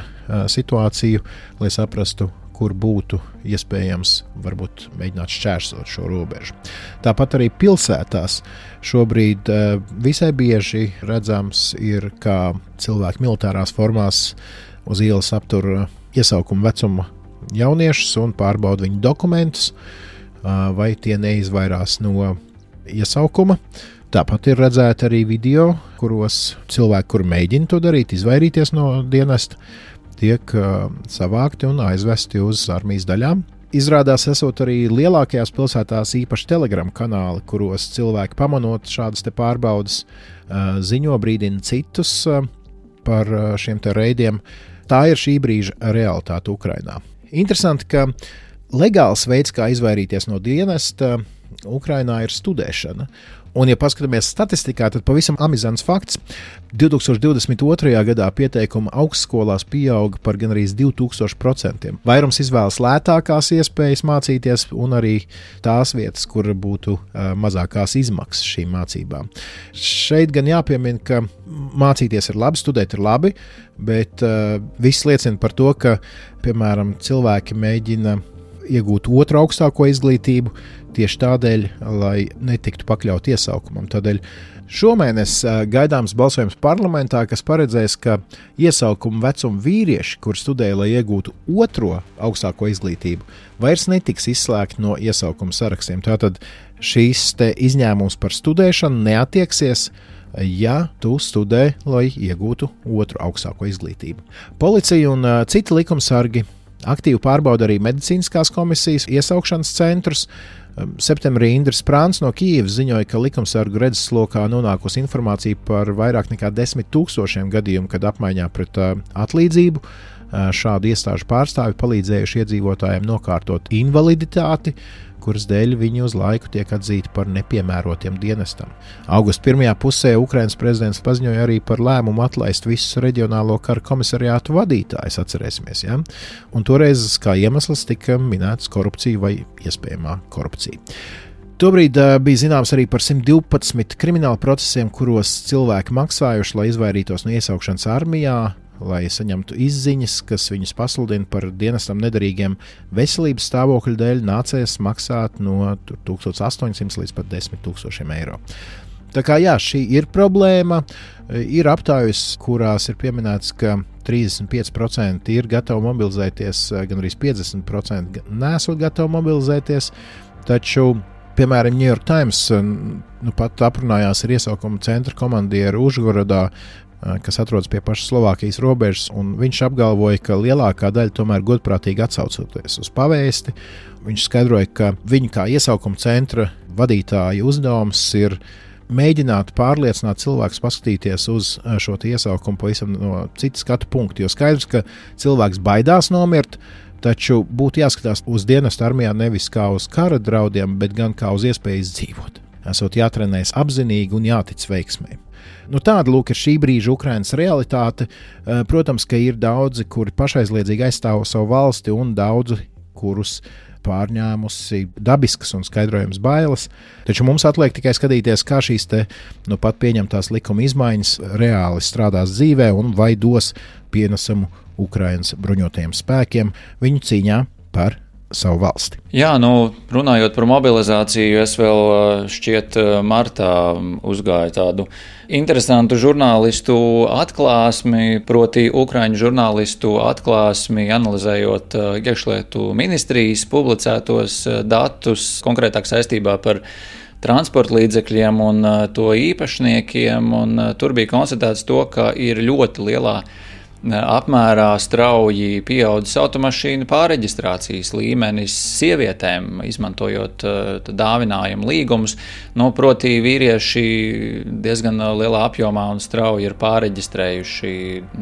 situāciju, lai saprastu, kur būtu iespējams varbūt mēģināt šķērsot šo robežu. Tāpat arī pilsētās šobrīd visai bieži redzams ir, kā cilvēki militārās formās uz ielas aptur iesaukuma vecuma jauniešus un pārbauda viņu dokumentus, vai tie neizvairās no iesaukuma. Tāpat ir redzēti arī video, kuros cilvēki, kuri mēģina to darīt, izvairīties no dienesta, tiek uh, savākti un aizvesti uz armijas daļām. Izrādās esot arī lielākajās pilsētās īpaši Telegram kanāli, kuros cilvēki pamanot šādas te pārbaudas uh, ziņo, brīdina citus uh, par uh, šiem te reidiem. Tā ir šī brīža realitāte Ukrainā. Interesanti, ka legāls veids, kā izvairīties no dienesta Ukrainā, ir studēšana. Un, ja paskatāmies statistikā, tad pavisam amizants fakts. divi tūkstoši divdesmit otrajā gadā pieteikuma augstskolās pieauga par gandrīz divi tūkstoši procenti. Vairums izvēlas lētākās iespējas mācīties un arī tās vietas, kur būtu uh, mazākās izmaksas šīm mācībām. Šeit gan jāpiemina, ka mācīties ir labi, studēt ir labi, bet uh, viss liecina par to, ka, piemēram, cilvēki mēģina iegūt otru augstāko izglītību tieši tādēļ, lai netiktu pakļaut iesaukumam. Tādēļ šomēnes gaidāms balsojums parlamentā, kas paredzēs, ka iesaukuma vecuma vīrieši, kur studēja, lai iegūtu otro augstāko izglītību, vairs netiks izslēgti no iesaukuma sarakstiem. Tātad šīs te izņēmums par studēšanu neatieksies, ja tu studē, lai iegūtu otru augstāko izglītību. Policija un uh, citi likumsargi aktīvi pārbauda arī medicīniskās komisijas iesaukšanas centrus. Septembrī Indris Prāns no Kijevas ziņoja, ka likumsargu redzeslokā nonākusi informācija par vairāk nekā desmit tūkstošiem gadījumu, kad apmaiņā pret uh, atlīdzību šādu iestāžu pārstāvi palīdzējuši iedzīvotājiem nokārtot invaliditāti, kuras dēļ viņi uz laiku tiek atzīti par nepiemērotiem dienestam. Augusta pirmajā pusē Ukrainas prezidents paziņoja arī par lēmumu atlaist visus reģionālo kara komisariātu vadītājus, atcerēsimies, ja? Un toreiz kā iemesls tika minēts korupcija vai iespējamā korupcija. Tobrīd uh, bija zināms arī par simt divpadsmit kriminālu procesiem, kuros cilvēki maksājuši, lai izvairītos no iesaukšanas armijā, lai saņemtu izziņas, kas viņus pasludina par dienestam nederīgiem veselības stāvokļa dēļ, nācies maksāt no tūkstoš astoņsimt līdz pat desmit tūkstošiem eiro. Tā kā jā, šī ir problēma. Ir aptājas, kurās ir pieminēts, ka trīsdesmit pieci procenti ir gatavi mobilizēties, gan arī piecdesmit procenti nesot gatavi mobilizēties, taču piemēram, New York Times nu, pat aprunājās ar iesaukuma centra komandieru Užgorodā, kas atrodas pie pašas Slovākijas robežas, un viņš apgalvoja, ka lielākā daļa tomēr godprātīgi atsaucoties uz pavēsti. Viņš skaidroja, ka viņa kā iesaukuma centra vadītāja uzdevums ir mēģināt pārliecināt cilvēkus paskatīties uz šo iesaukumu pavisam no citas skatu punktu, jo skaidrs, ka cilvēks baidās nomirt, taču būtu jāskatās uz dienestu armijā nevis kā uz kara draudiem, bet gan kā uz iespēju izdzīvot. Esot jātrenējas apzinīgi un jātic veiksmei. Nu, tāda lūk ir šī brīža Ukrainas realitāte. Protams, ka ir daudzi, kuri pašaizliedzīgi aizstāv savu valsti un daudzi, kurus pārņēmusi dabiskas un skaidrojams bailes. Taču mums atliek tikai skatīties, kā šīs te nu pat pieņemtās likuma izmaiņas reāli strādās dzīvē un vai dos pienesumu Ukrainas bruņotajiem spēkiem viņu cīņā par savu valsti. Jā, nu, runājot par mobilizāciju, es vēl šķiet martā uzgāju tādu interesantu žurnālistu atklāsmi, proti ukraiņu žurnālistu atklāsmi, analizējot iekšlietu ministrijas publicētos datus, konkrētāk saistībā par transporta līdzekļiem un to īpašniekiem, un tur bija konstatēts to, ka ir ļoti lielā apmērā strauji pieaudzis automašīnu pārreģistrācijas līmenis sievietēm, izmantojot uh, dāvinājumu līgumus. Nu, proti vīrieši diezgan lielā apjomā un strauji ir pārreģistrējuši,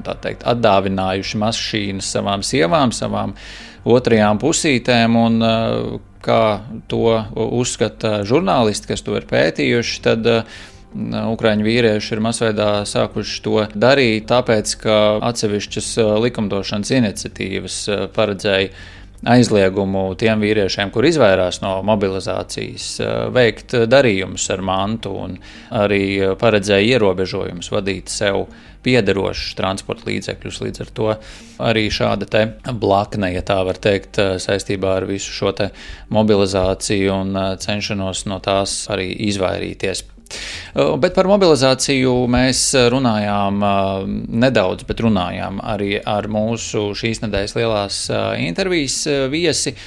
tā teikt, atdāvinājuši mašīnas savām sievām, savām otrajām pusītēm, un uh, kā to uzskata žurnālisti, kas to ir pētījuši, tad uh, Ukraiņu vīrieši ir masveidā sākuši to darīt, tāpēc, ka atsevišķas likumdošanas iniciatīvas paredzēja aizliegumu tiem vīriešiem, kur izvairās no mobilizācijas, veikt darījumus ar mantu un arī paredzēja ierobežojumus vadīt sev piederošus transporta līdzekļus. Līdz ar to arī šāda te blakne, ja tā var teikt, saistībā ar visu šo te mobilizāciju un cenšanos no tās arī izvairīties. Bet par mobilizāciju mēs runājām nedaudz, bet runājām arī ar mūsu šīs nedēļas lielās intervijas viesi.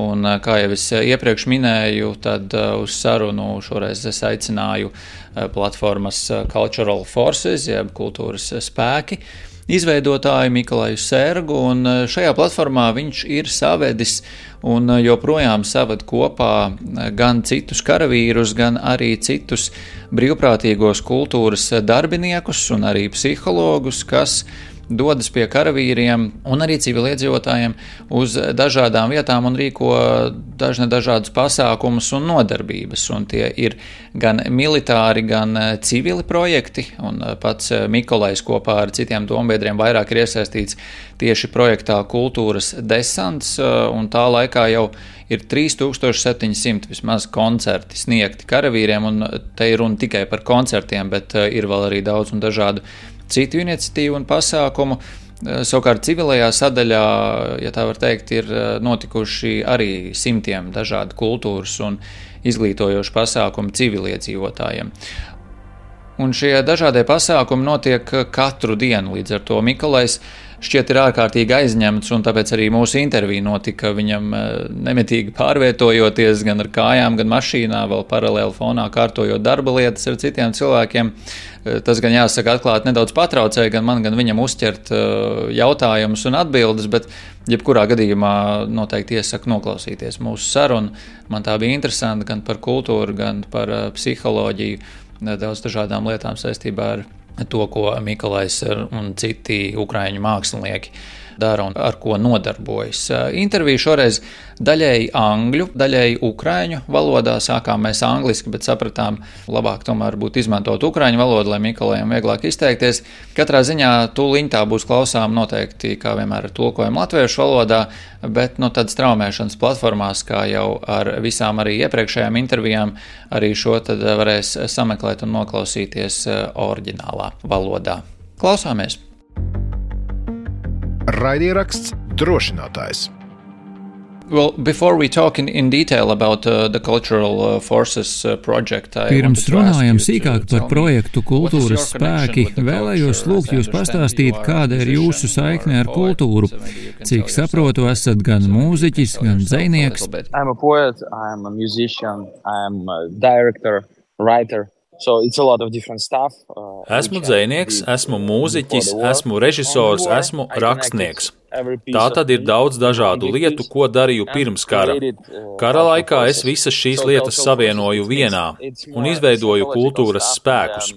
Un, kā jau es iepriekš minēju, tad uz sarunu šoreiz es aicināju platformas Cultural Forces, jeb kultūras spēki, izveidotāju Mikolaju Sērgu, un šajā platformā viņš ir savedis un joprojām saved kopā gan citus karavīrus, gan arī citus brīvprātīgos kultūras darbiniekus un arī psihologus, kas dodas pie karavīriem un arī civiliedzīvotājiem uz dažādām vietām un rīko dažne dažādus pasākumus un nodarbības. Un tie ir gan militāri, gan civili projekti, un pats Mikolajs kopā ar citiem dombiedriem vairāk ir iesaistīts tieši projektā Kultūras desants, un tā laikā jau ir trīs tūkstoši septiņi simti vismaz koncerti sniegti karavīriem, un te ir runa tikai par koncertiem, bet ir vēl arī daudz un dažādu citu iniciatīvu un pasākumu. Savukārt civilajā sadaļā, ja tā var teikt, ir notikuši arī simtiem dažādu kultūras un izglītojošu pasākumu civiliedzīvotājiem. Un šie dažādie pasākumi notiek katru dienu, līdz ar to Mikolajs šķiet ir ārkārtīgi aizņemts, un tāpēc arī mūsu intervija notika viņam nemitīgi pārvietojoties gan ar kājām, gan mašīnā, vēl paralēli fonā kārtojot darba lietas ar citiem cilvēkiem. Tas gan jāsaka atklāt nedaudz patraucēja gan man, gan viņam uzķert jautājumus un atbildes, bet jebkurā gadījumā noteikti iesaku noklausīties mūsu sarunu. Man tā bija interesanti gan par kultūru, gan par psiholoģiju, daudz dažādām lietām saistībā ar to, ko Mikolajs un citi ukraiņu mākslinieki dara un ar ko nodarbojas. Interviju šoreiz daļēji angļu, daļēji ukraiņu valodā. Sākām mēs angliski, bet sapratām, labāk tomēr būtu izmantot ukraiņu valodu, lai Mikolajam vieglāk izteikties. Katrā ziņā tūliņ tā būs klausām noteikti, kā vienmēr ar tulkojumu latviešu valodā, bet no tādas traumēšanas platformās, kā jau ar visām arī iepriekšējām intervijām, arī šo tad varēs sameklēt un noklausīties oriģinālā valodā. Klausāmies! Raidieraksts Drošinātājs. Well, before we talk in, in detail about uh, the Cultural uh, Forces uh, project, I Pirms runājam sīkāk par projektu Kultūras spēki, vēlējos lūgt jūs pastāstīt, kāda ir jūsu saikne ar kultūru. Cik saprotu, esat gan mūziķis, gan dzejnieks. I'm a poet, I'm a musician, I'm a director, writer. So it's a lot of different stuff. Uh, esmu dzejnieks, esmu mūziķis, esmu režisors, esmu rakstnieks. Tā tad ir daudz dažādu lietu, ko darīju pirms kara. Kara laikā es visas šīs lietas savienoju vienā un izveidoju kultūras spēkus.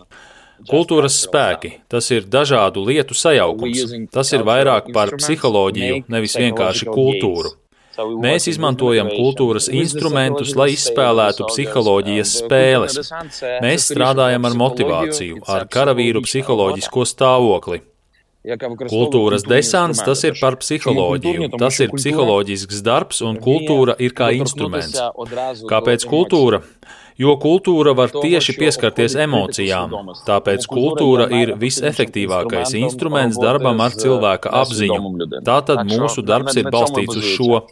Kultūras spēki – tas ir dažādu lietu sajaukums. Tas ir vairāk par psiholoģiju, nevis vienkārši kultūru. Mēs izmantojam kultūras instrumentus, lai izspēlētu psiholoģijas spēles. Mēs strādājam ar motivāciju, ar karavīru psiholoģisko stāvokli. Kultūras desants – tas ir par psiholoģiju. Tas ir psiholoģisks darbs, un kultūra ir kā instruments. Kāpēc kultūra? Jo kultūra var tieši pieskarties emocijām, tāpēc kultūra ir visefektīvākais instruments darbam ar cilvēka apziņu. Tātad mūsu darbs ir balstīts uz šo.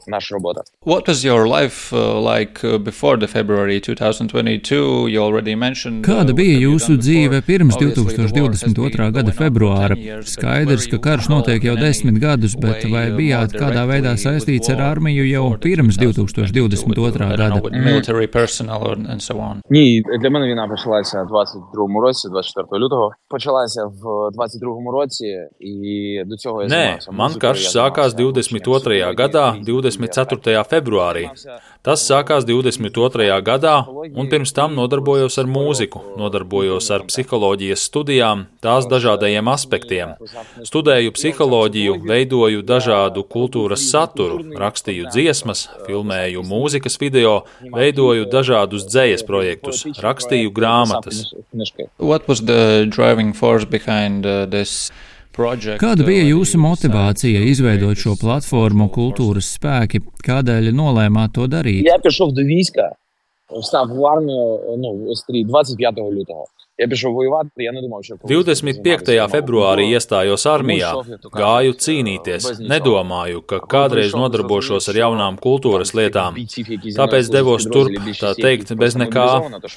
What was your life uh, like before the February twenty twenty-two? You already mentioned. Kāda bija jūsu dzīve pirms divtūkstoš divdesmit otrā gada februāra? Skaidrs, ka karš notiek jau desmit gadus, bet vai bijāt kādā veidā saistīts ar armiju jau pirms divtūkstoš divdesmit otrā gada? Military personnel and so on. Ні, для мене війна почалася в двадцять другому році, двадцять четвертого лютого. Почалася в двадцять другому році, і до цього я займався. Nē, man karš sākās divdesmit otrajā gadā, divdesmit ceturtajā februārī. Tas sākās divdesmit otrajā gadā, un pirms tam nodarbojos ar mūziku, nodarbojos ar psiholoģijas studijām, tās dažādajiem aspektiem. Studēju psiholoģiju, veidoju dažādu kultūras saturu, rakstīju dziesmas, filmēju mūzikas video, veidoju dažādus dzejas projektus, rakstīju grāmatas. What was the driving force behind uh, this project? Kāda bija jūsu motivācija izveidot šo platformu Kultūras spēki? Kādēļ nolēmāt to darīt? Я пішов до війська, встав в армію, ну, двадцять п'ятого лютого. Ja divdesmit piektajā februārī iestājos armijā, gāju cīnīties, nedomāju, ka kādreiz nodarbošos ar jaunām kultūras lietām, tāpēc devos turp, tā teikt, bez nekā,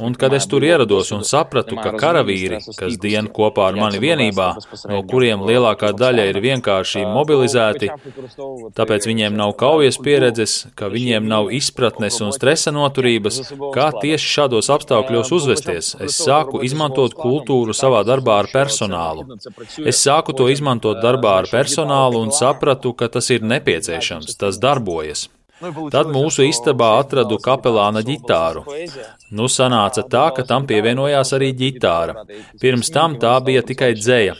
un kad es tur ierados un sapratu, ka karavīri, kas dien kopā ar mani vienībā, no kuriem lielākā daļa ir vienkārši mobilizēti, tāpēc viņiem nav kaujas pieredzes, ka viņiem nav izpratnes un stresa noturības, kā tieši šādos apstākļos uzvesties, es sāku izmantot izmantot kultūru savā darbā ar personālu. Es sāku to izmantot darbā ar personālu un sapratu, ka tas ir nepieciešams, tas darbojas. Tad mūsu istabā atradu kapelāna ģitāru. Nu, sanāca tā, ka tam pievienojās arī ģitāra. Pirms tam tā bija tikai dzeja.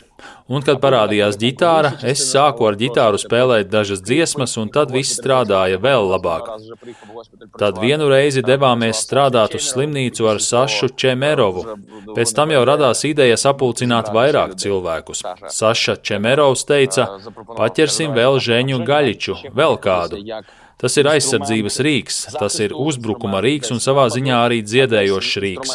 Un, kad parādījās ģitāra, es sāku ar ģitāru spēlēt dažas dziesmas, un tad viss strādāja vēl labāk. Tad vienu reizi devāmies strādāt uz slimnīcu ar Sašu Čemerovu. Pēc tam jau radās ideja sapulcināt vairāk cilvēkus. Saša Čemerovs teica, paķersim vēl Žeņu Gaļiču, vēl kādu. Tas ir aizsardzības rīks, tas ir uzbrukuma rīks un savā ziņā arī dziedējošs rīks.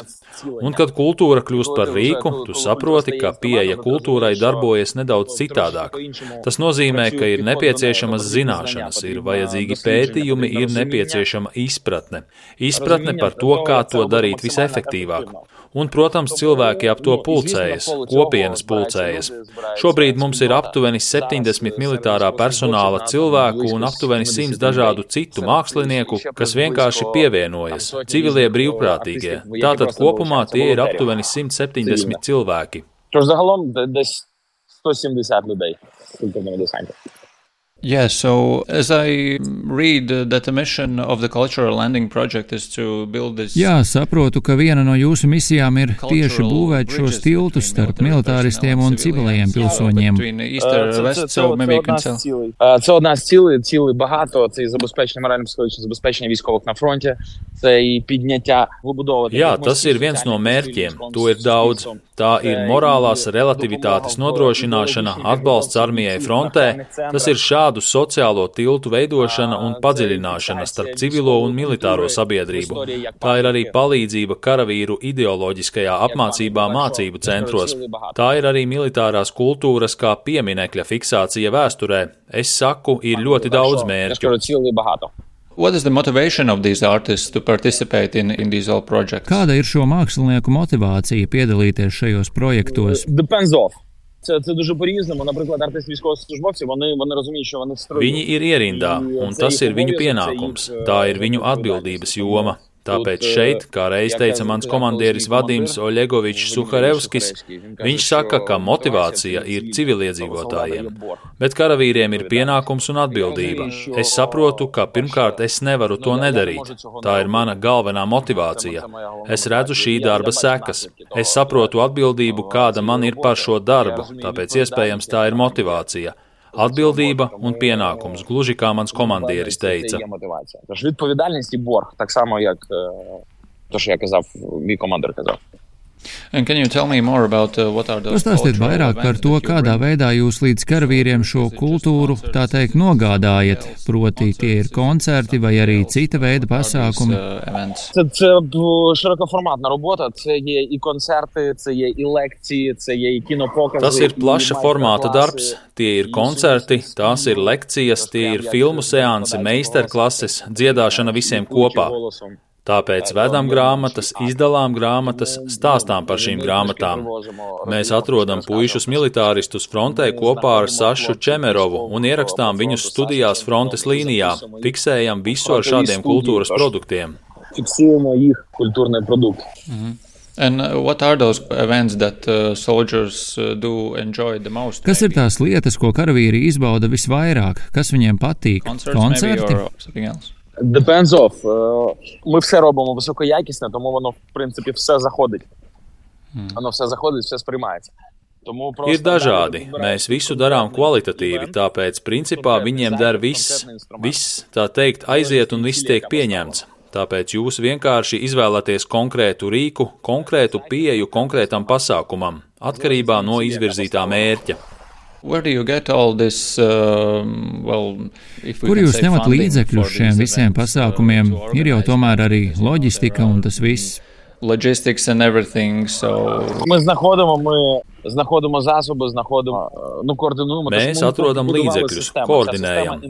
Un, kad kultūra kļūst par rīku, tu saproti, ka pieeja kultūrai darbojas nedaudz citādāk. Tas nozīmē, ka ir nepieciešamas zināšanas, ir vajadzīgi pētījumi, ir nepieciešama izpratne. Izpratne par to, kā to darīt visefektīvāk. Un, protams, cilvēki ap to pulcējas, kopienas pulcējas. Šobrīd mums ir aptuveni septiņdesmit militārā personāla cilvēku un aptuveni simts dažādu citu mākslinieku, kas vienkārši pievienojas, civilie brīvprātīgie. Tātad kopumā tie ir aptuveni simt septiņdesmit cilvēki. Yeah, so as I read uh, that the mission of the Cultural Landing Project is to build this. Jā, saprotu, ka viena no jūsu misijām ir tieši būvēt šos tiltus starp militāristiem un civilajiem pilsoņiem. Це одна з цілей, цілей багато, це і забезпечення морально-психологічне забезпечення військових на фронті, це і підняття, вибудовувати. Jā, tas ir viens no mērķiem, to ir daudz. Tā ir morālās relativitātes nodrošināšana, atbalsts armijai frontē, tas ir šādu sociālo tiltu veidošana un padziļināšana starp civilo un militāro sabiedrību. Tā ir arī palīdzība karavīru ideoloģiskajā apmācībā mācību centros. Tā ir arī militārās kultūras kā pieminekļa fiksācija vēsturē. Es saku, ir ļoti daudz mērķu. What is the motivation of these artists to participate in, in these all projects? Kāda ir šo mākslinieku motivācija piedalīties šajos projektos? Depends off. Це, це дуже по-різному. Наприклад, артисти військовослужбовці, вони, вони розуміють, що вони строють. Viņi ir ierindā, un tas ir viņu pienākums. Tā ir viņu atbildības joma. Tāpēc šeit, kā reiz teica mans komandieris Vadims Oļegovičs Suharevskis, viņš saka, ka motivācija ir civiliedzīvotājiem, bet karavīriem ir pienākums un atbildība. Es saprotu, ka pirmkārt es nevaru to nedarīt. Tā ir mana galvenā motivācija. Es redzu šī darba sekas. Es saprotu atbildību, kāda man ir par šo darbu, tāpēc iespējams tā ir motivācija. Atbildība un pienākums, gluži kā mans komandieris teica. Тож відповідальність і борг, так само, як то, що я казав, мій командир казав. And can you tell me more about uh, what are those? Pastāstiet vairāk par to, kādā veidā jūs līdz karavīriem šo kultūru, tā teikt, nogādājat, proti tie ir koncerti vai arī cita veida pasākumi. Це, це широкоформатна робота, це є і концерти, це є і лекції, це є і кінопокази. Tas ir plaša formāta darbs, tie ir koncerti, tās ir lekcijas, tie ir filmu seansi, meistarklases, dziedāšana visiem kopā. Tāpēc vedam grāmatas, izdalām grāmatas, stāstām par šīm grāmatām. Mēs atrodam puišus militāristus frontē kopā ar Sašu Čemerovu un ierakstām viņus studijās frontes līnijā, fiksējam visu ar šādiem kultūras produktiem. Fiksējam их культурный продукт. And what are those events that uh, soldiers uh, do enjoy the most? Kas ir tās lietas, ko karavīri izbauda visvairāk? Kas viņiem patīk? Koncerti? Depends off. Ми все робимо високоякісне, тому воно, в принципі, все заходить. Воно все заходить, все сприймається. Ir dažādi. Mēs visu darām kvalitatīvi, tāpēc, principā, viņiem der viss. Viss, tā teikt, aiziet un viss tiek pieņemts. Tāpēc jūs vienkārši izvēlaties konkrētu rīku, konkrētu pieeju konkrētam pasākumam, atkarībā no izvirzītā mērķa. Where do you get all this, uh, well, if we Kur jūs can say ņemat līdzekļus šiem visiem events, pasākumiem? uh, Ir jau tomēr arī loģistika un tas viss. Logistics and everything, so... Ми знаходимо, ми знаходимо засоби, знаходимо, nu, koordinуємо. Mēs atrodam līdzekļus, koordinējam.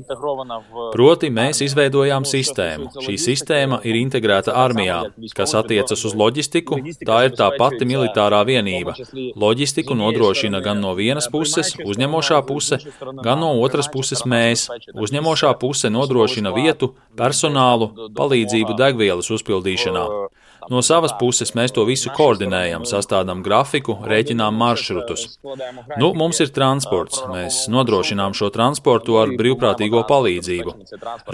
Proti, mēs izveidojām sistēmu. Šī sistēma ir integrēta armijā, kas attiecas uz loģistiku, tā ir tā pati militārā vienība. Loģistiku nodrošina gan no vienas puses uzņemošā puse, gan no otras puses mēs. Uzņemošā puse nodrošina vietu, personālu, palīdzību degvielas uzpildīšanā. No savas puses mēs to visu koordinējam, sastādām grafiku, rēķinām maršrutus. Nu, mums ir transports. Mēs nodrošinām šo transportu ar brīvprātīgo palīdzību.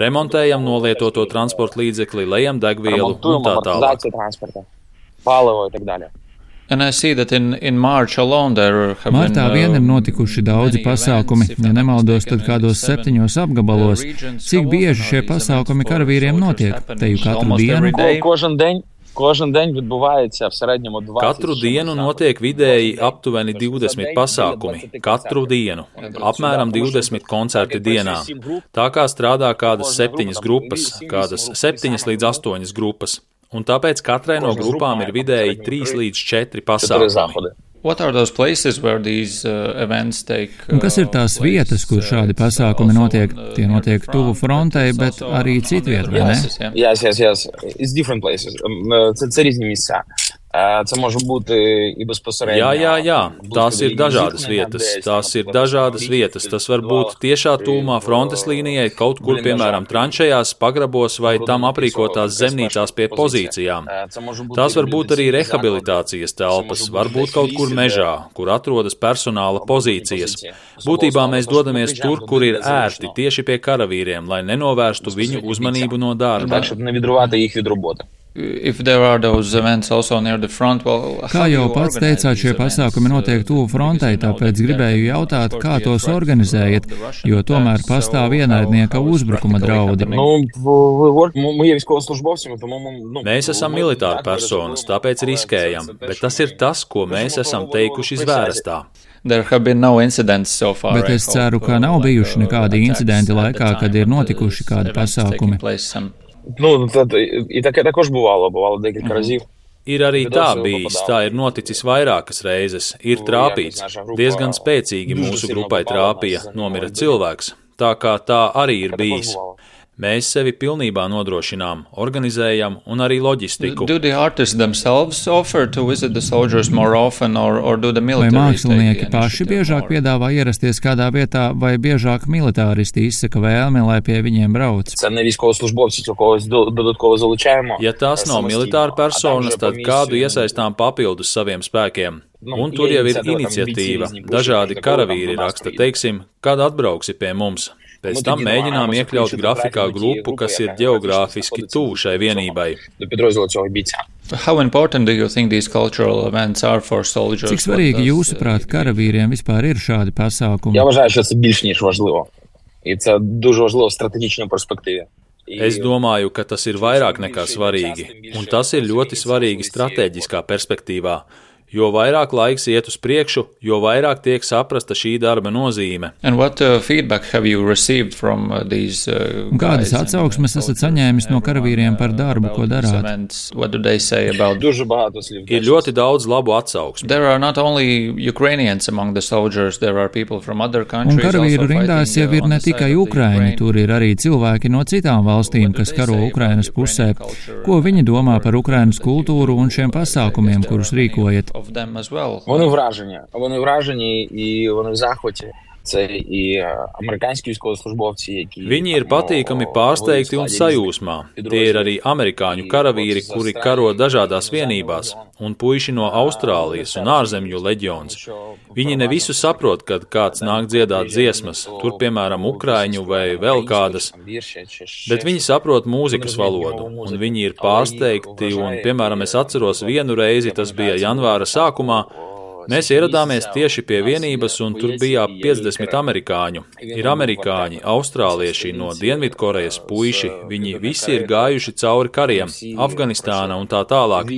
Remontējam nolietoto transporta līdzekli, lejam degvielu un tā tālāk. And I see that in, in March alone there have been, Martā vien ir notikuši daudzi pasākumi, ja nemaldos, tad kādos septiņos apgabalos. Cik bieži šie pasākumi karavīriem notiek? Te jau katru dienu? Kožan deň. Кожен день відбувається в середньому двадцять. Katru dienu notiek vidēji aptuveni divdesmit pasākumi. Katru dienu. Apmēram divdesmit koncerti dienā. Tā kā strādā kādas septiņas grupas, kādas septiņas līdz astoņas grupas. Un tāpēc katrai no grupām ir vidēji trīs līdz četri pasākumi. What are those places where these uh, events take? Uh, Un kas ir tās vietas, kur šādi pasākumi notiek? Tie notiek tuvu frontei, bet arī citviet, vai ne? Yes, yes, yes. It's different places. Це, це різні місця. Це може бути і безпосередньо. Jā, jā, jā. Tās ir dažādas vietas. Tās ir dažādas vietas. Tas var būt tiešā tūmā frontes līnijai, kaut kur, piemēram, tranšējās, pagrabos vai tam aprīkotās zemnīcās pie pozīcijām. Tās var būt arī rehabilitācijas telpas, varbūt kaut kur mežā, kur atrodas personāla pozīcijas. Būtībā mēs dodamies tur, kur ir ērti, tieši pie karavīriem, lai nenovērstu viņu uzmanību no darba. Front, well, kā jau pats teicāt, šie pasākumi notiek tuvu frontei, tāpēc gribēju jautāt, kā tos organizējat, jo tomēr pastāv ienaidnieka uzbrukuma draudi. Mēs esam militāri personas, tāpēc riskējam, bet tas ir tas, ko mēs esam teikuši zvērstā. No so far, bet es ceru, ka nav bijuši nekādi incidenti laikā, kad ir notikuši kādi pasākumi. Nu, tad, і таке також бувало, бувало декілька разів. Ir arī tā bijis, tā ir noticis vairākas reizes, ir trāpīts, diezgan spēcīgi mūsu grupai trāpīja, nomira cilvēks, tā kā tā arī ir bijis. Mēs sevi pilnībā nodrošinām, organizējam un arī loģistiku. Vai mākslinieki paši biežāk piedāvā ierasties kādā vietā, vai biežāk militāristi izsaka vēlmi, lai pie viņiem brauc? Ja tās nav militāra personas, tad kādu iesaistām papildus saviem spēkiem. Un tur jau ir iniciatīva. Dažādi karavīri raksta, teiksim, kad atbrauksi pie mums. Pēc tam mēģinām iekļaut grafikā grupu, kas ir ģeogrāfiski tuvu šai vienībai. Cik svarīgi jūsuprāt karavīriem vispār ir šādi pasākumi? Я вважаю, що це більш ніж важливо. І це дуже важливо в стратегічній перспективі. Es domāju, ka tas ir vairāk nekā svarīgi, un tas ir ļoti svarīgi stratēģiskā perspektīvā. Jo vairāk laiks iet uz priekšu, jo vairāk tiek saprasta šī darba nozīme. What, uh, from, uh, these, uh, Un kādas atsauksmes esat saņēmis no karavīriem par darbu, ko darāt? Ir ļoti daudz labu atsauksmu. Un karavīru rindās jau ir ne tikai Ukraiņi, tur ir arī cilvēki no citām valstīm, kas karo Ukrainas pusē. Ko viņi domā par Ukrainas kultūru un šiem pasākumiem, kurus rīkojat? Вони вражені, вони вражені і вони в захваті. Це і американські військовослужбовці, які... Viņi ir patīkami pārsteigti un sajūsmā. Tie ir arī amerikāņu karavīri, kuri karo dažādās vienībās, un puiši no Austrālijas un ārzemju leģions. Viņi ne visu saprot, kad kāds nāk dziedāt dziesmas, tur piemēram ukraiņu vai vēl kādas, bet viņi saprot mūzikas valodu, un viņi ir pārsteigti, un piemēram es atceros vienu reizi, tas bija janvāra sākumā, mēs ieradāmies tieši pie vienības, un tur bija piecdesmit amerikāņu. Ir amerikāņi, austrālieši, no Dienvidkorejas puiši, viņi visi ir gājuši cauri kariem, Afganistāna un tā tālāk.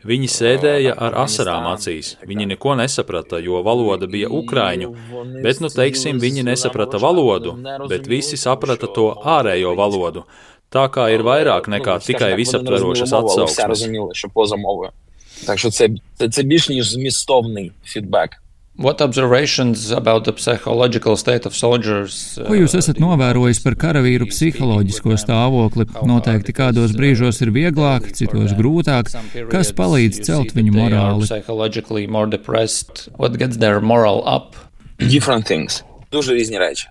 Viņi sēdēja ar asarām acīs. Viņi neko nesaprata, jo valoda bija ukraiņu, bet, nu teiksim, viņi nesaprata valodu, bet visi saprata to ārējo valodu. Tā kā ir vairāk nekā tikai visaptverošas atsauksmes. Так що це, це, це більш ніж змістовний фідбек. What observations about the psychological state of soldiers? Ko jūs esat novērojis par karavīru psiholoģisko stāvokli? Noteikti kādos brīžos ir vieglāk, citos grūtāk. Kas palīdz celt viņu morāli? Psychologically more depressed. What gets their moral up? Different things. Дуже різні речі.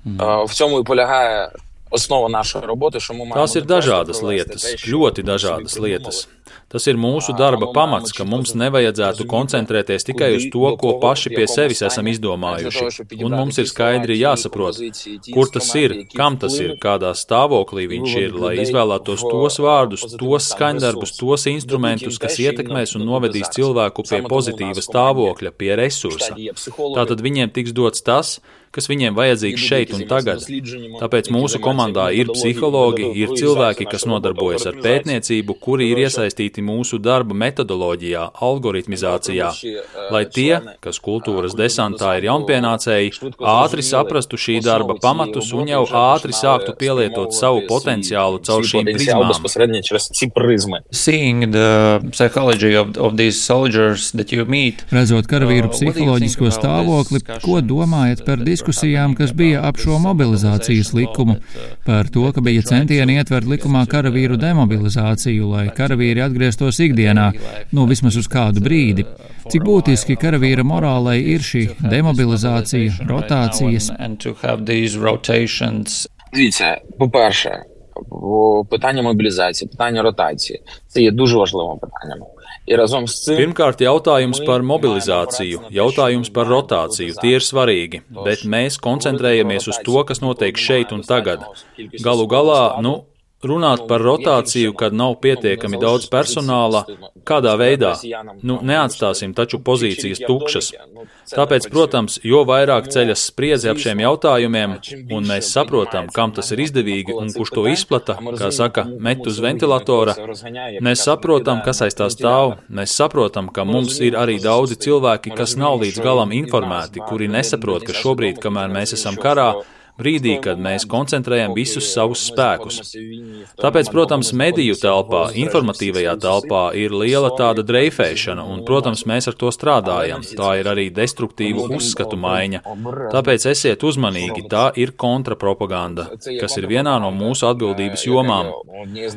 Mm. В цьому і полягає основа нашої роботи, що ми маємо... Tās ir dažādas lietas, ļoti dažādas lietas. Tas ir mūsu darba pamats, ka mums nevajadzētu koncentrēties tikai uz to, ko paši pie sevis esam izdomājuši. Un mums ir skaidri jāsaprot, kur tas ir, kam tas ir, kādā stāvoklī viņš ir, lai izvēlētos tos vārdus, tos skaņdarbus, tos instrumentus, kas ietekmēs un novedīs cilvēku pie pozitīva stāvokļa, pie resursa. Tātad viņiem tiks dots tas, kas viņiem vajadzīgs šeit un tagad. Tāpēc mūsu komandā ir psihologi, ir cilvēki, kas nodarbojas ar pētniecību, kuri ir iesaistīti mūsu darba metodoloģijā, algoritmizācijā, lai tie, kas kultūras desantā ir jaunpienācēji, ātri saprastu šī darba pamatus un jau ātri sāktu pielietot savu potenciālu caur šīm prizmām. Seeing the psychology of, of these soldiers that you meet. Redzot karavīru psiholoģisko stāvokli, ko domājat par diskusiju diskusijām, kas bija ap šo mobilizācijas likumu, par to, ka bija centieni ietvert likumā karavīru demobilizāciju, lai karavīri atgrieztos ikdienā, nu vismaz uz kādu brīdi. Cik būtiski karavīra morālei ir šī demobilizācija, rotācijas? Дивіться, по-перше, питання мобілізації, питання ротації – це є дуже важливим питанням. І разом з цим... Pirmkārt, jautājums par mobilizāciju, jautājums par rotāciju, tie ir svarīgi, bet mēs koncentrējamies uz to, kas notiek šeit un tagad. Galu galā, nu, runāt par rotāciju, kad nav pietiekami daudz personāla, kādā veidā? Nu, neatstāsim taču pozīcijas tukšas. Tāpēc, protams, jo vairāk ceļas spriedzi ap šiem jautājumiem, un mēs saprotam, kam tas ir izdevīgi un kurš to izplata, kā saka, met uz ventilatora, mēs saprotam, kas aiz tā stāv, mēs saprotam, ka mums ir arī daudzi cilvēki, kas nav līdz galam informēti, kuri nesaprot, ka šobrīd, kamēr mēs esam karā, brīdī, kad mēs koncentrējam visus savus spēkus. Tāpēc, protams, mediju telpā, informatīvajā telpā ir liela tāda dreifēšana, un, protams, mēs ar to strādājam. Tā ir arī destruktīva uzskatu maiņa. Tāpēc esiet uzmanīgi, tā ir kontrapropaganda, kas ir vienā no mūsu atbildības jomām.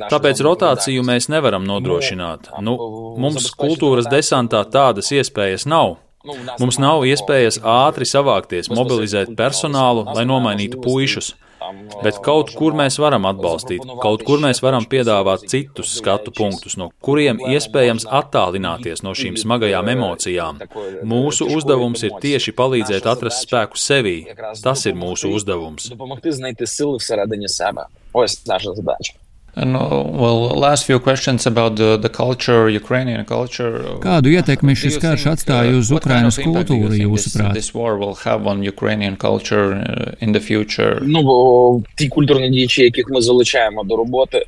Tāpēc rotāciju mēs nevaram nodrošināt. Nu, mums kultūras desantā tādas iespējas nav. Mums nav iespējas ātri savākties, mobilizēt personālu, lai nomainītu puišus, bet kaut kur mēs varam atbalstīt, kaut kur mēs varam piedāvāt citus skatu punktus, no kuriem iespējams attālināties no šīm smagajām emocijām. Mūsu uzdevums ir tieši palīdzēt atrast spēku sevī. Tas ir mūsu uzdevums. And, well, last few questions about the, the culture, Ukrainian culture. Kādu ietekmi šis karš atstāja uz Ukrainas kultūru, jūsuprāt? This war will have on Ukrainian culture in the future. Ну, бо ті культурні діячі, яких ми залучаємо до роботи,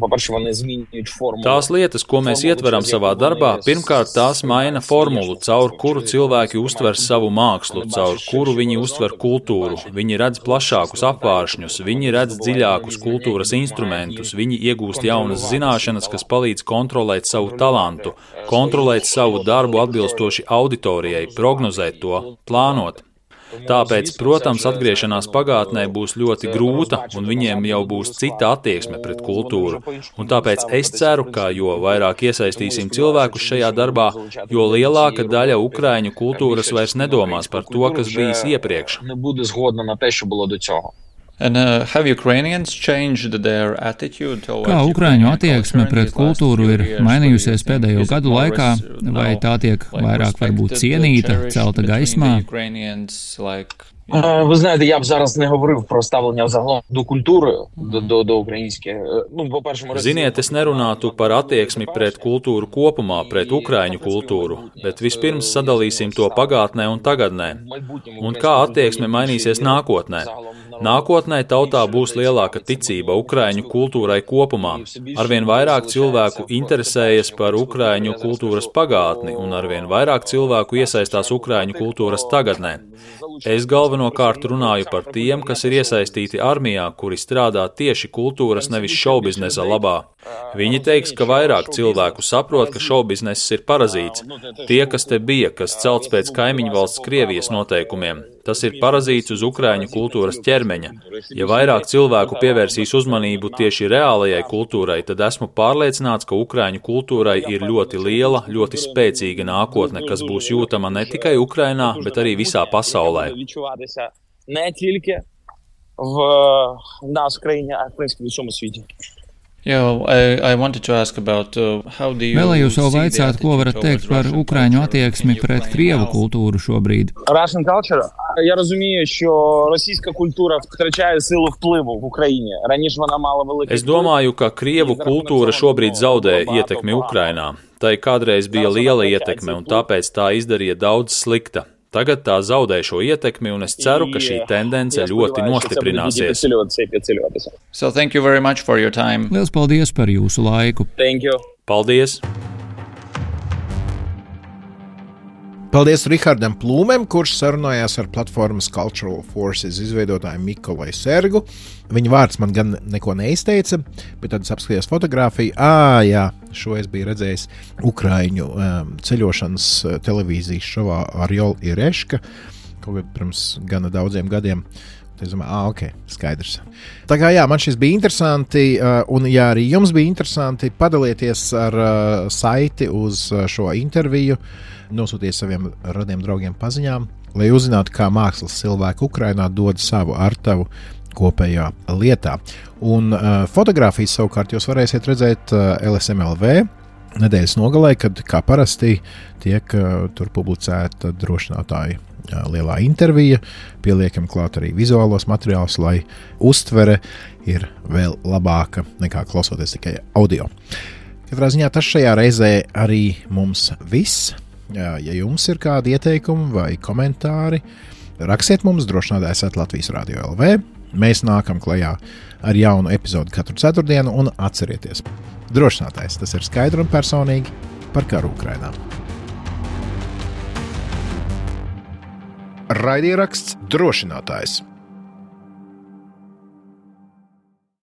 по-перше, вони змінюють формулу. Tās lietas, ko mēs ietveram savā darbā, pirmkārt tās maina formulu, caur kuru cilvēki uztver savu mākslu, caur kuru viņi uztver kultūru. Viņi redz plašākus apvāršņus, viņi redz dziļākus kultūras instrumentus, viņi iegūst jaunas zināšanas, kas palīdz kontrolēt savu talantu, kontrolēt savu darbu atbilstoši auditorijai, prognozēt to, plānot. Tāpēc, protams, atgriešanās pagātnē būs ļoti grūta, un viņiem jau būs cita attieksme pret kultūru. Un tāpēc es ceru, ka jo vairāk iesaistīsim cilvēkus šajā darbā, jo lielāka daļa ukraiņu kultūras vairs nedomās par to, kas bijis iepriekš. And, uh, have Ukrainians changed their attitude towards Kā ukraiņu attieksme pret kultūru ir mainījusies pēdējo gadu laikā, vai tā tiek vairāk varbūt cienīta, celta gaismā? Ви знаєте, я б зараз не говорив про ставлення взагалом до культури, до, до, до українських. Ну, по-перше, Ziniet, es nerunātu par attieksmi pret kultūru kopumā, pret ukraiņu kultūru, bet vispirms sadalīsim to pagātnē un tagadnē. Un kā attieksme mainīsies nākotnē? Nākotnē tautā būs lielāka ticība ukraiņu kultūrai kopumā. Arvien vairāk cilvēku interesējas par ukraiņu kultūras pagātni un arvien vairāk cilvēku iesaistās ukraiņu kultūras tagadnē. Es galvenokārt runāju par tiem, kas ir iesaistīti armijā, kuri strādā tieši kultūras nevis šaubiznesa labā. Viņi teiks, ka vairāk cilvēku saprot, ka šaubizness ir parazīts. Tie, kas te bija, kas celts pēc kaimiņu valsts Krievijas noteikumiem. Tas ir parazīts uz ukraiņu kultūras ķermeņa. Ja vairāk cilvēku pievērsīs uzmanību tieši reālajai kultūrai, tad esmu pārliecināts, ka ukraiņu kultūrai ir ļoti liela, ļoti spēcīga nākotne, kas būs jūtama ne tikai Ukrainā, bet arī visā pasaulē. Не тільки в нас в країні, а в принципі в усьому світі. Yeah, I, I wanted to ask about, uh, how do you Vēlējos vēl vaicāt, ko varat teikt par ukraiņu attieksmi pret krievu kultūru šobrīd. Russian culture? Я розумію, що російська культура втрачає силу впливу в Україні. Раніше вона мала великий. Es domāju, ka krievu kultūra šobrīd zaudē ietekmi Ukrainā. Tai kādreiz bija liela ietekme, un tāpēc tā izdarīja daudz slikta. Tagad tā zaudē šo ietekmi, un es ceru, ka šī tendence ļoti nostiprināsies. So thank you very much for your time. Liels paldies par jūsu laiku. Thank you. Paldies! Paldies Rihardam Plūmēm, kurš sarunājās ar platformas Cultural Forces izveidotāju Mikolai Sergu. Viņa vārds man gan neko neizteica, bet tad es apskatījos fotogrāfiju. Ā, jā, šo es biju redzējis Ukraiņu um, ceļošanas televīzijas šovā Arjol Ireška. kaut kad pirms gana daudziem gadiem. Es domāju, ah, ok, skaidrs. Tā kā jā, man šis bija interesanti, un ja arī jums bija interesanti, padalieties ar saiti uz šo interviju, nosūtiet saviem radiem draugiem paziņām, lai uzzinātu, kā mākslas cilvēki Ukrainā dod savu artavu kopējā lietā. Un uh, fotogrāfijas savukārt jūs varēsiet redzēt uh, L S M L V nedēļas nogalē, kad kā parasti tiek uh, tur publicēta drošinātāja uh, lielā intervija, pieliekam klāt arī vizuālos materiālus, lai uztvere ir vēl labāka nekā klausoties tikai audio. Katrā ziņā tas šajā reizē arī mums viss. Ja jums ir kādi ieteikumi vai komentāri, rakstiet mums drošinātājs at Latvijas Radio L V. Mēs nākam klajā ar jaunu epizodi katru ceturtdienu un atcerieties, drošinātājs tas ir skaidri un personīgi par karu Ukrainā. Raidieraksts Drošinātājs.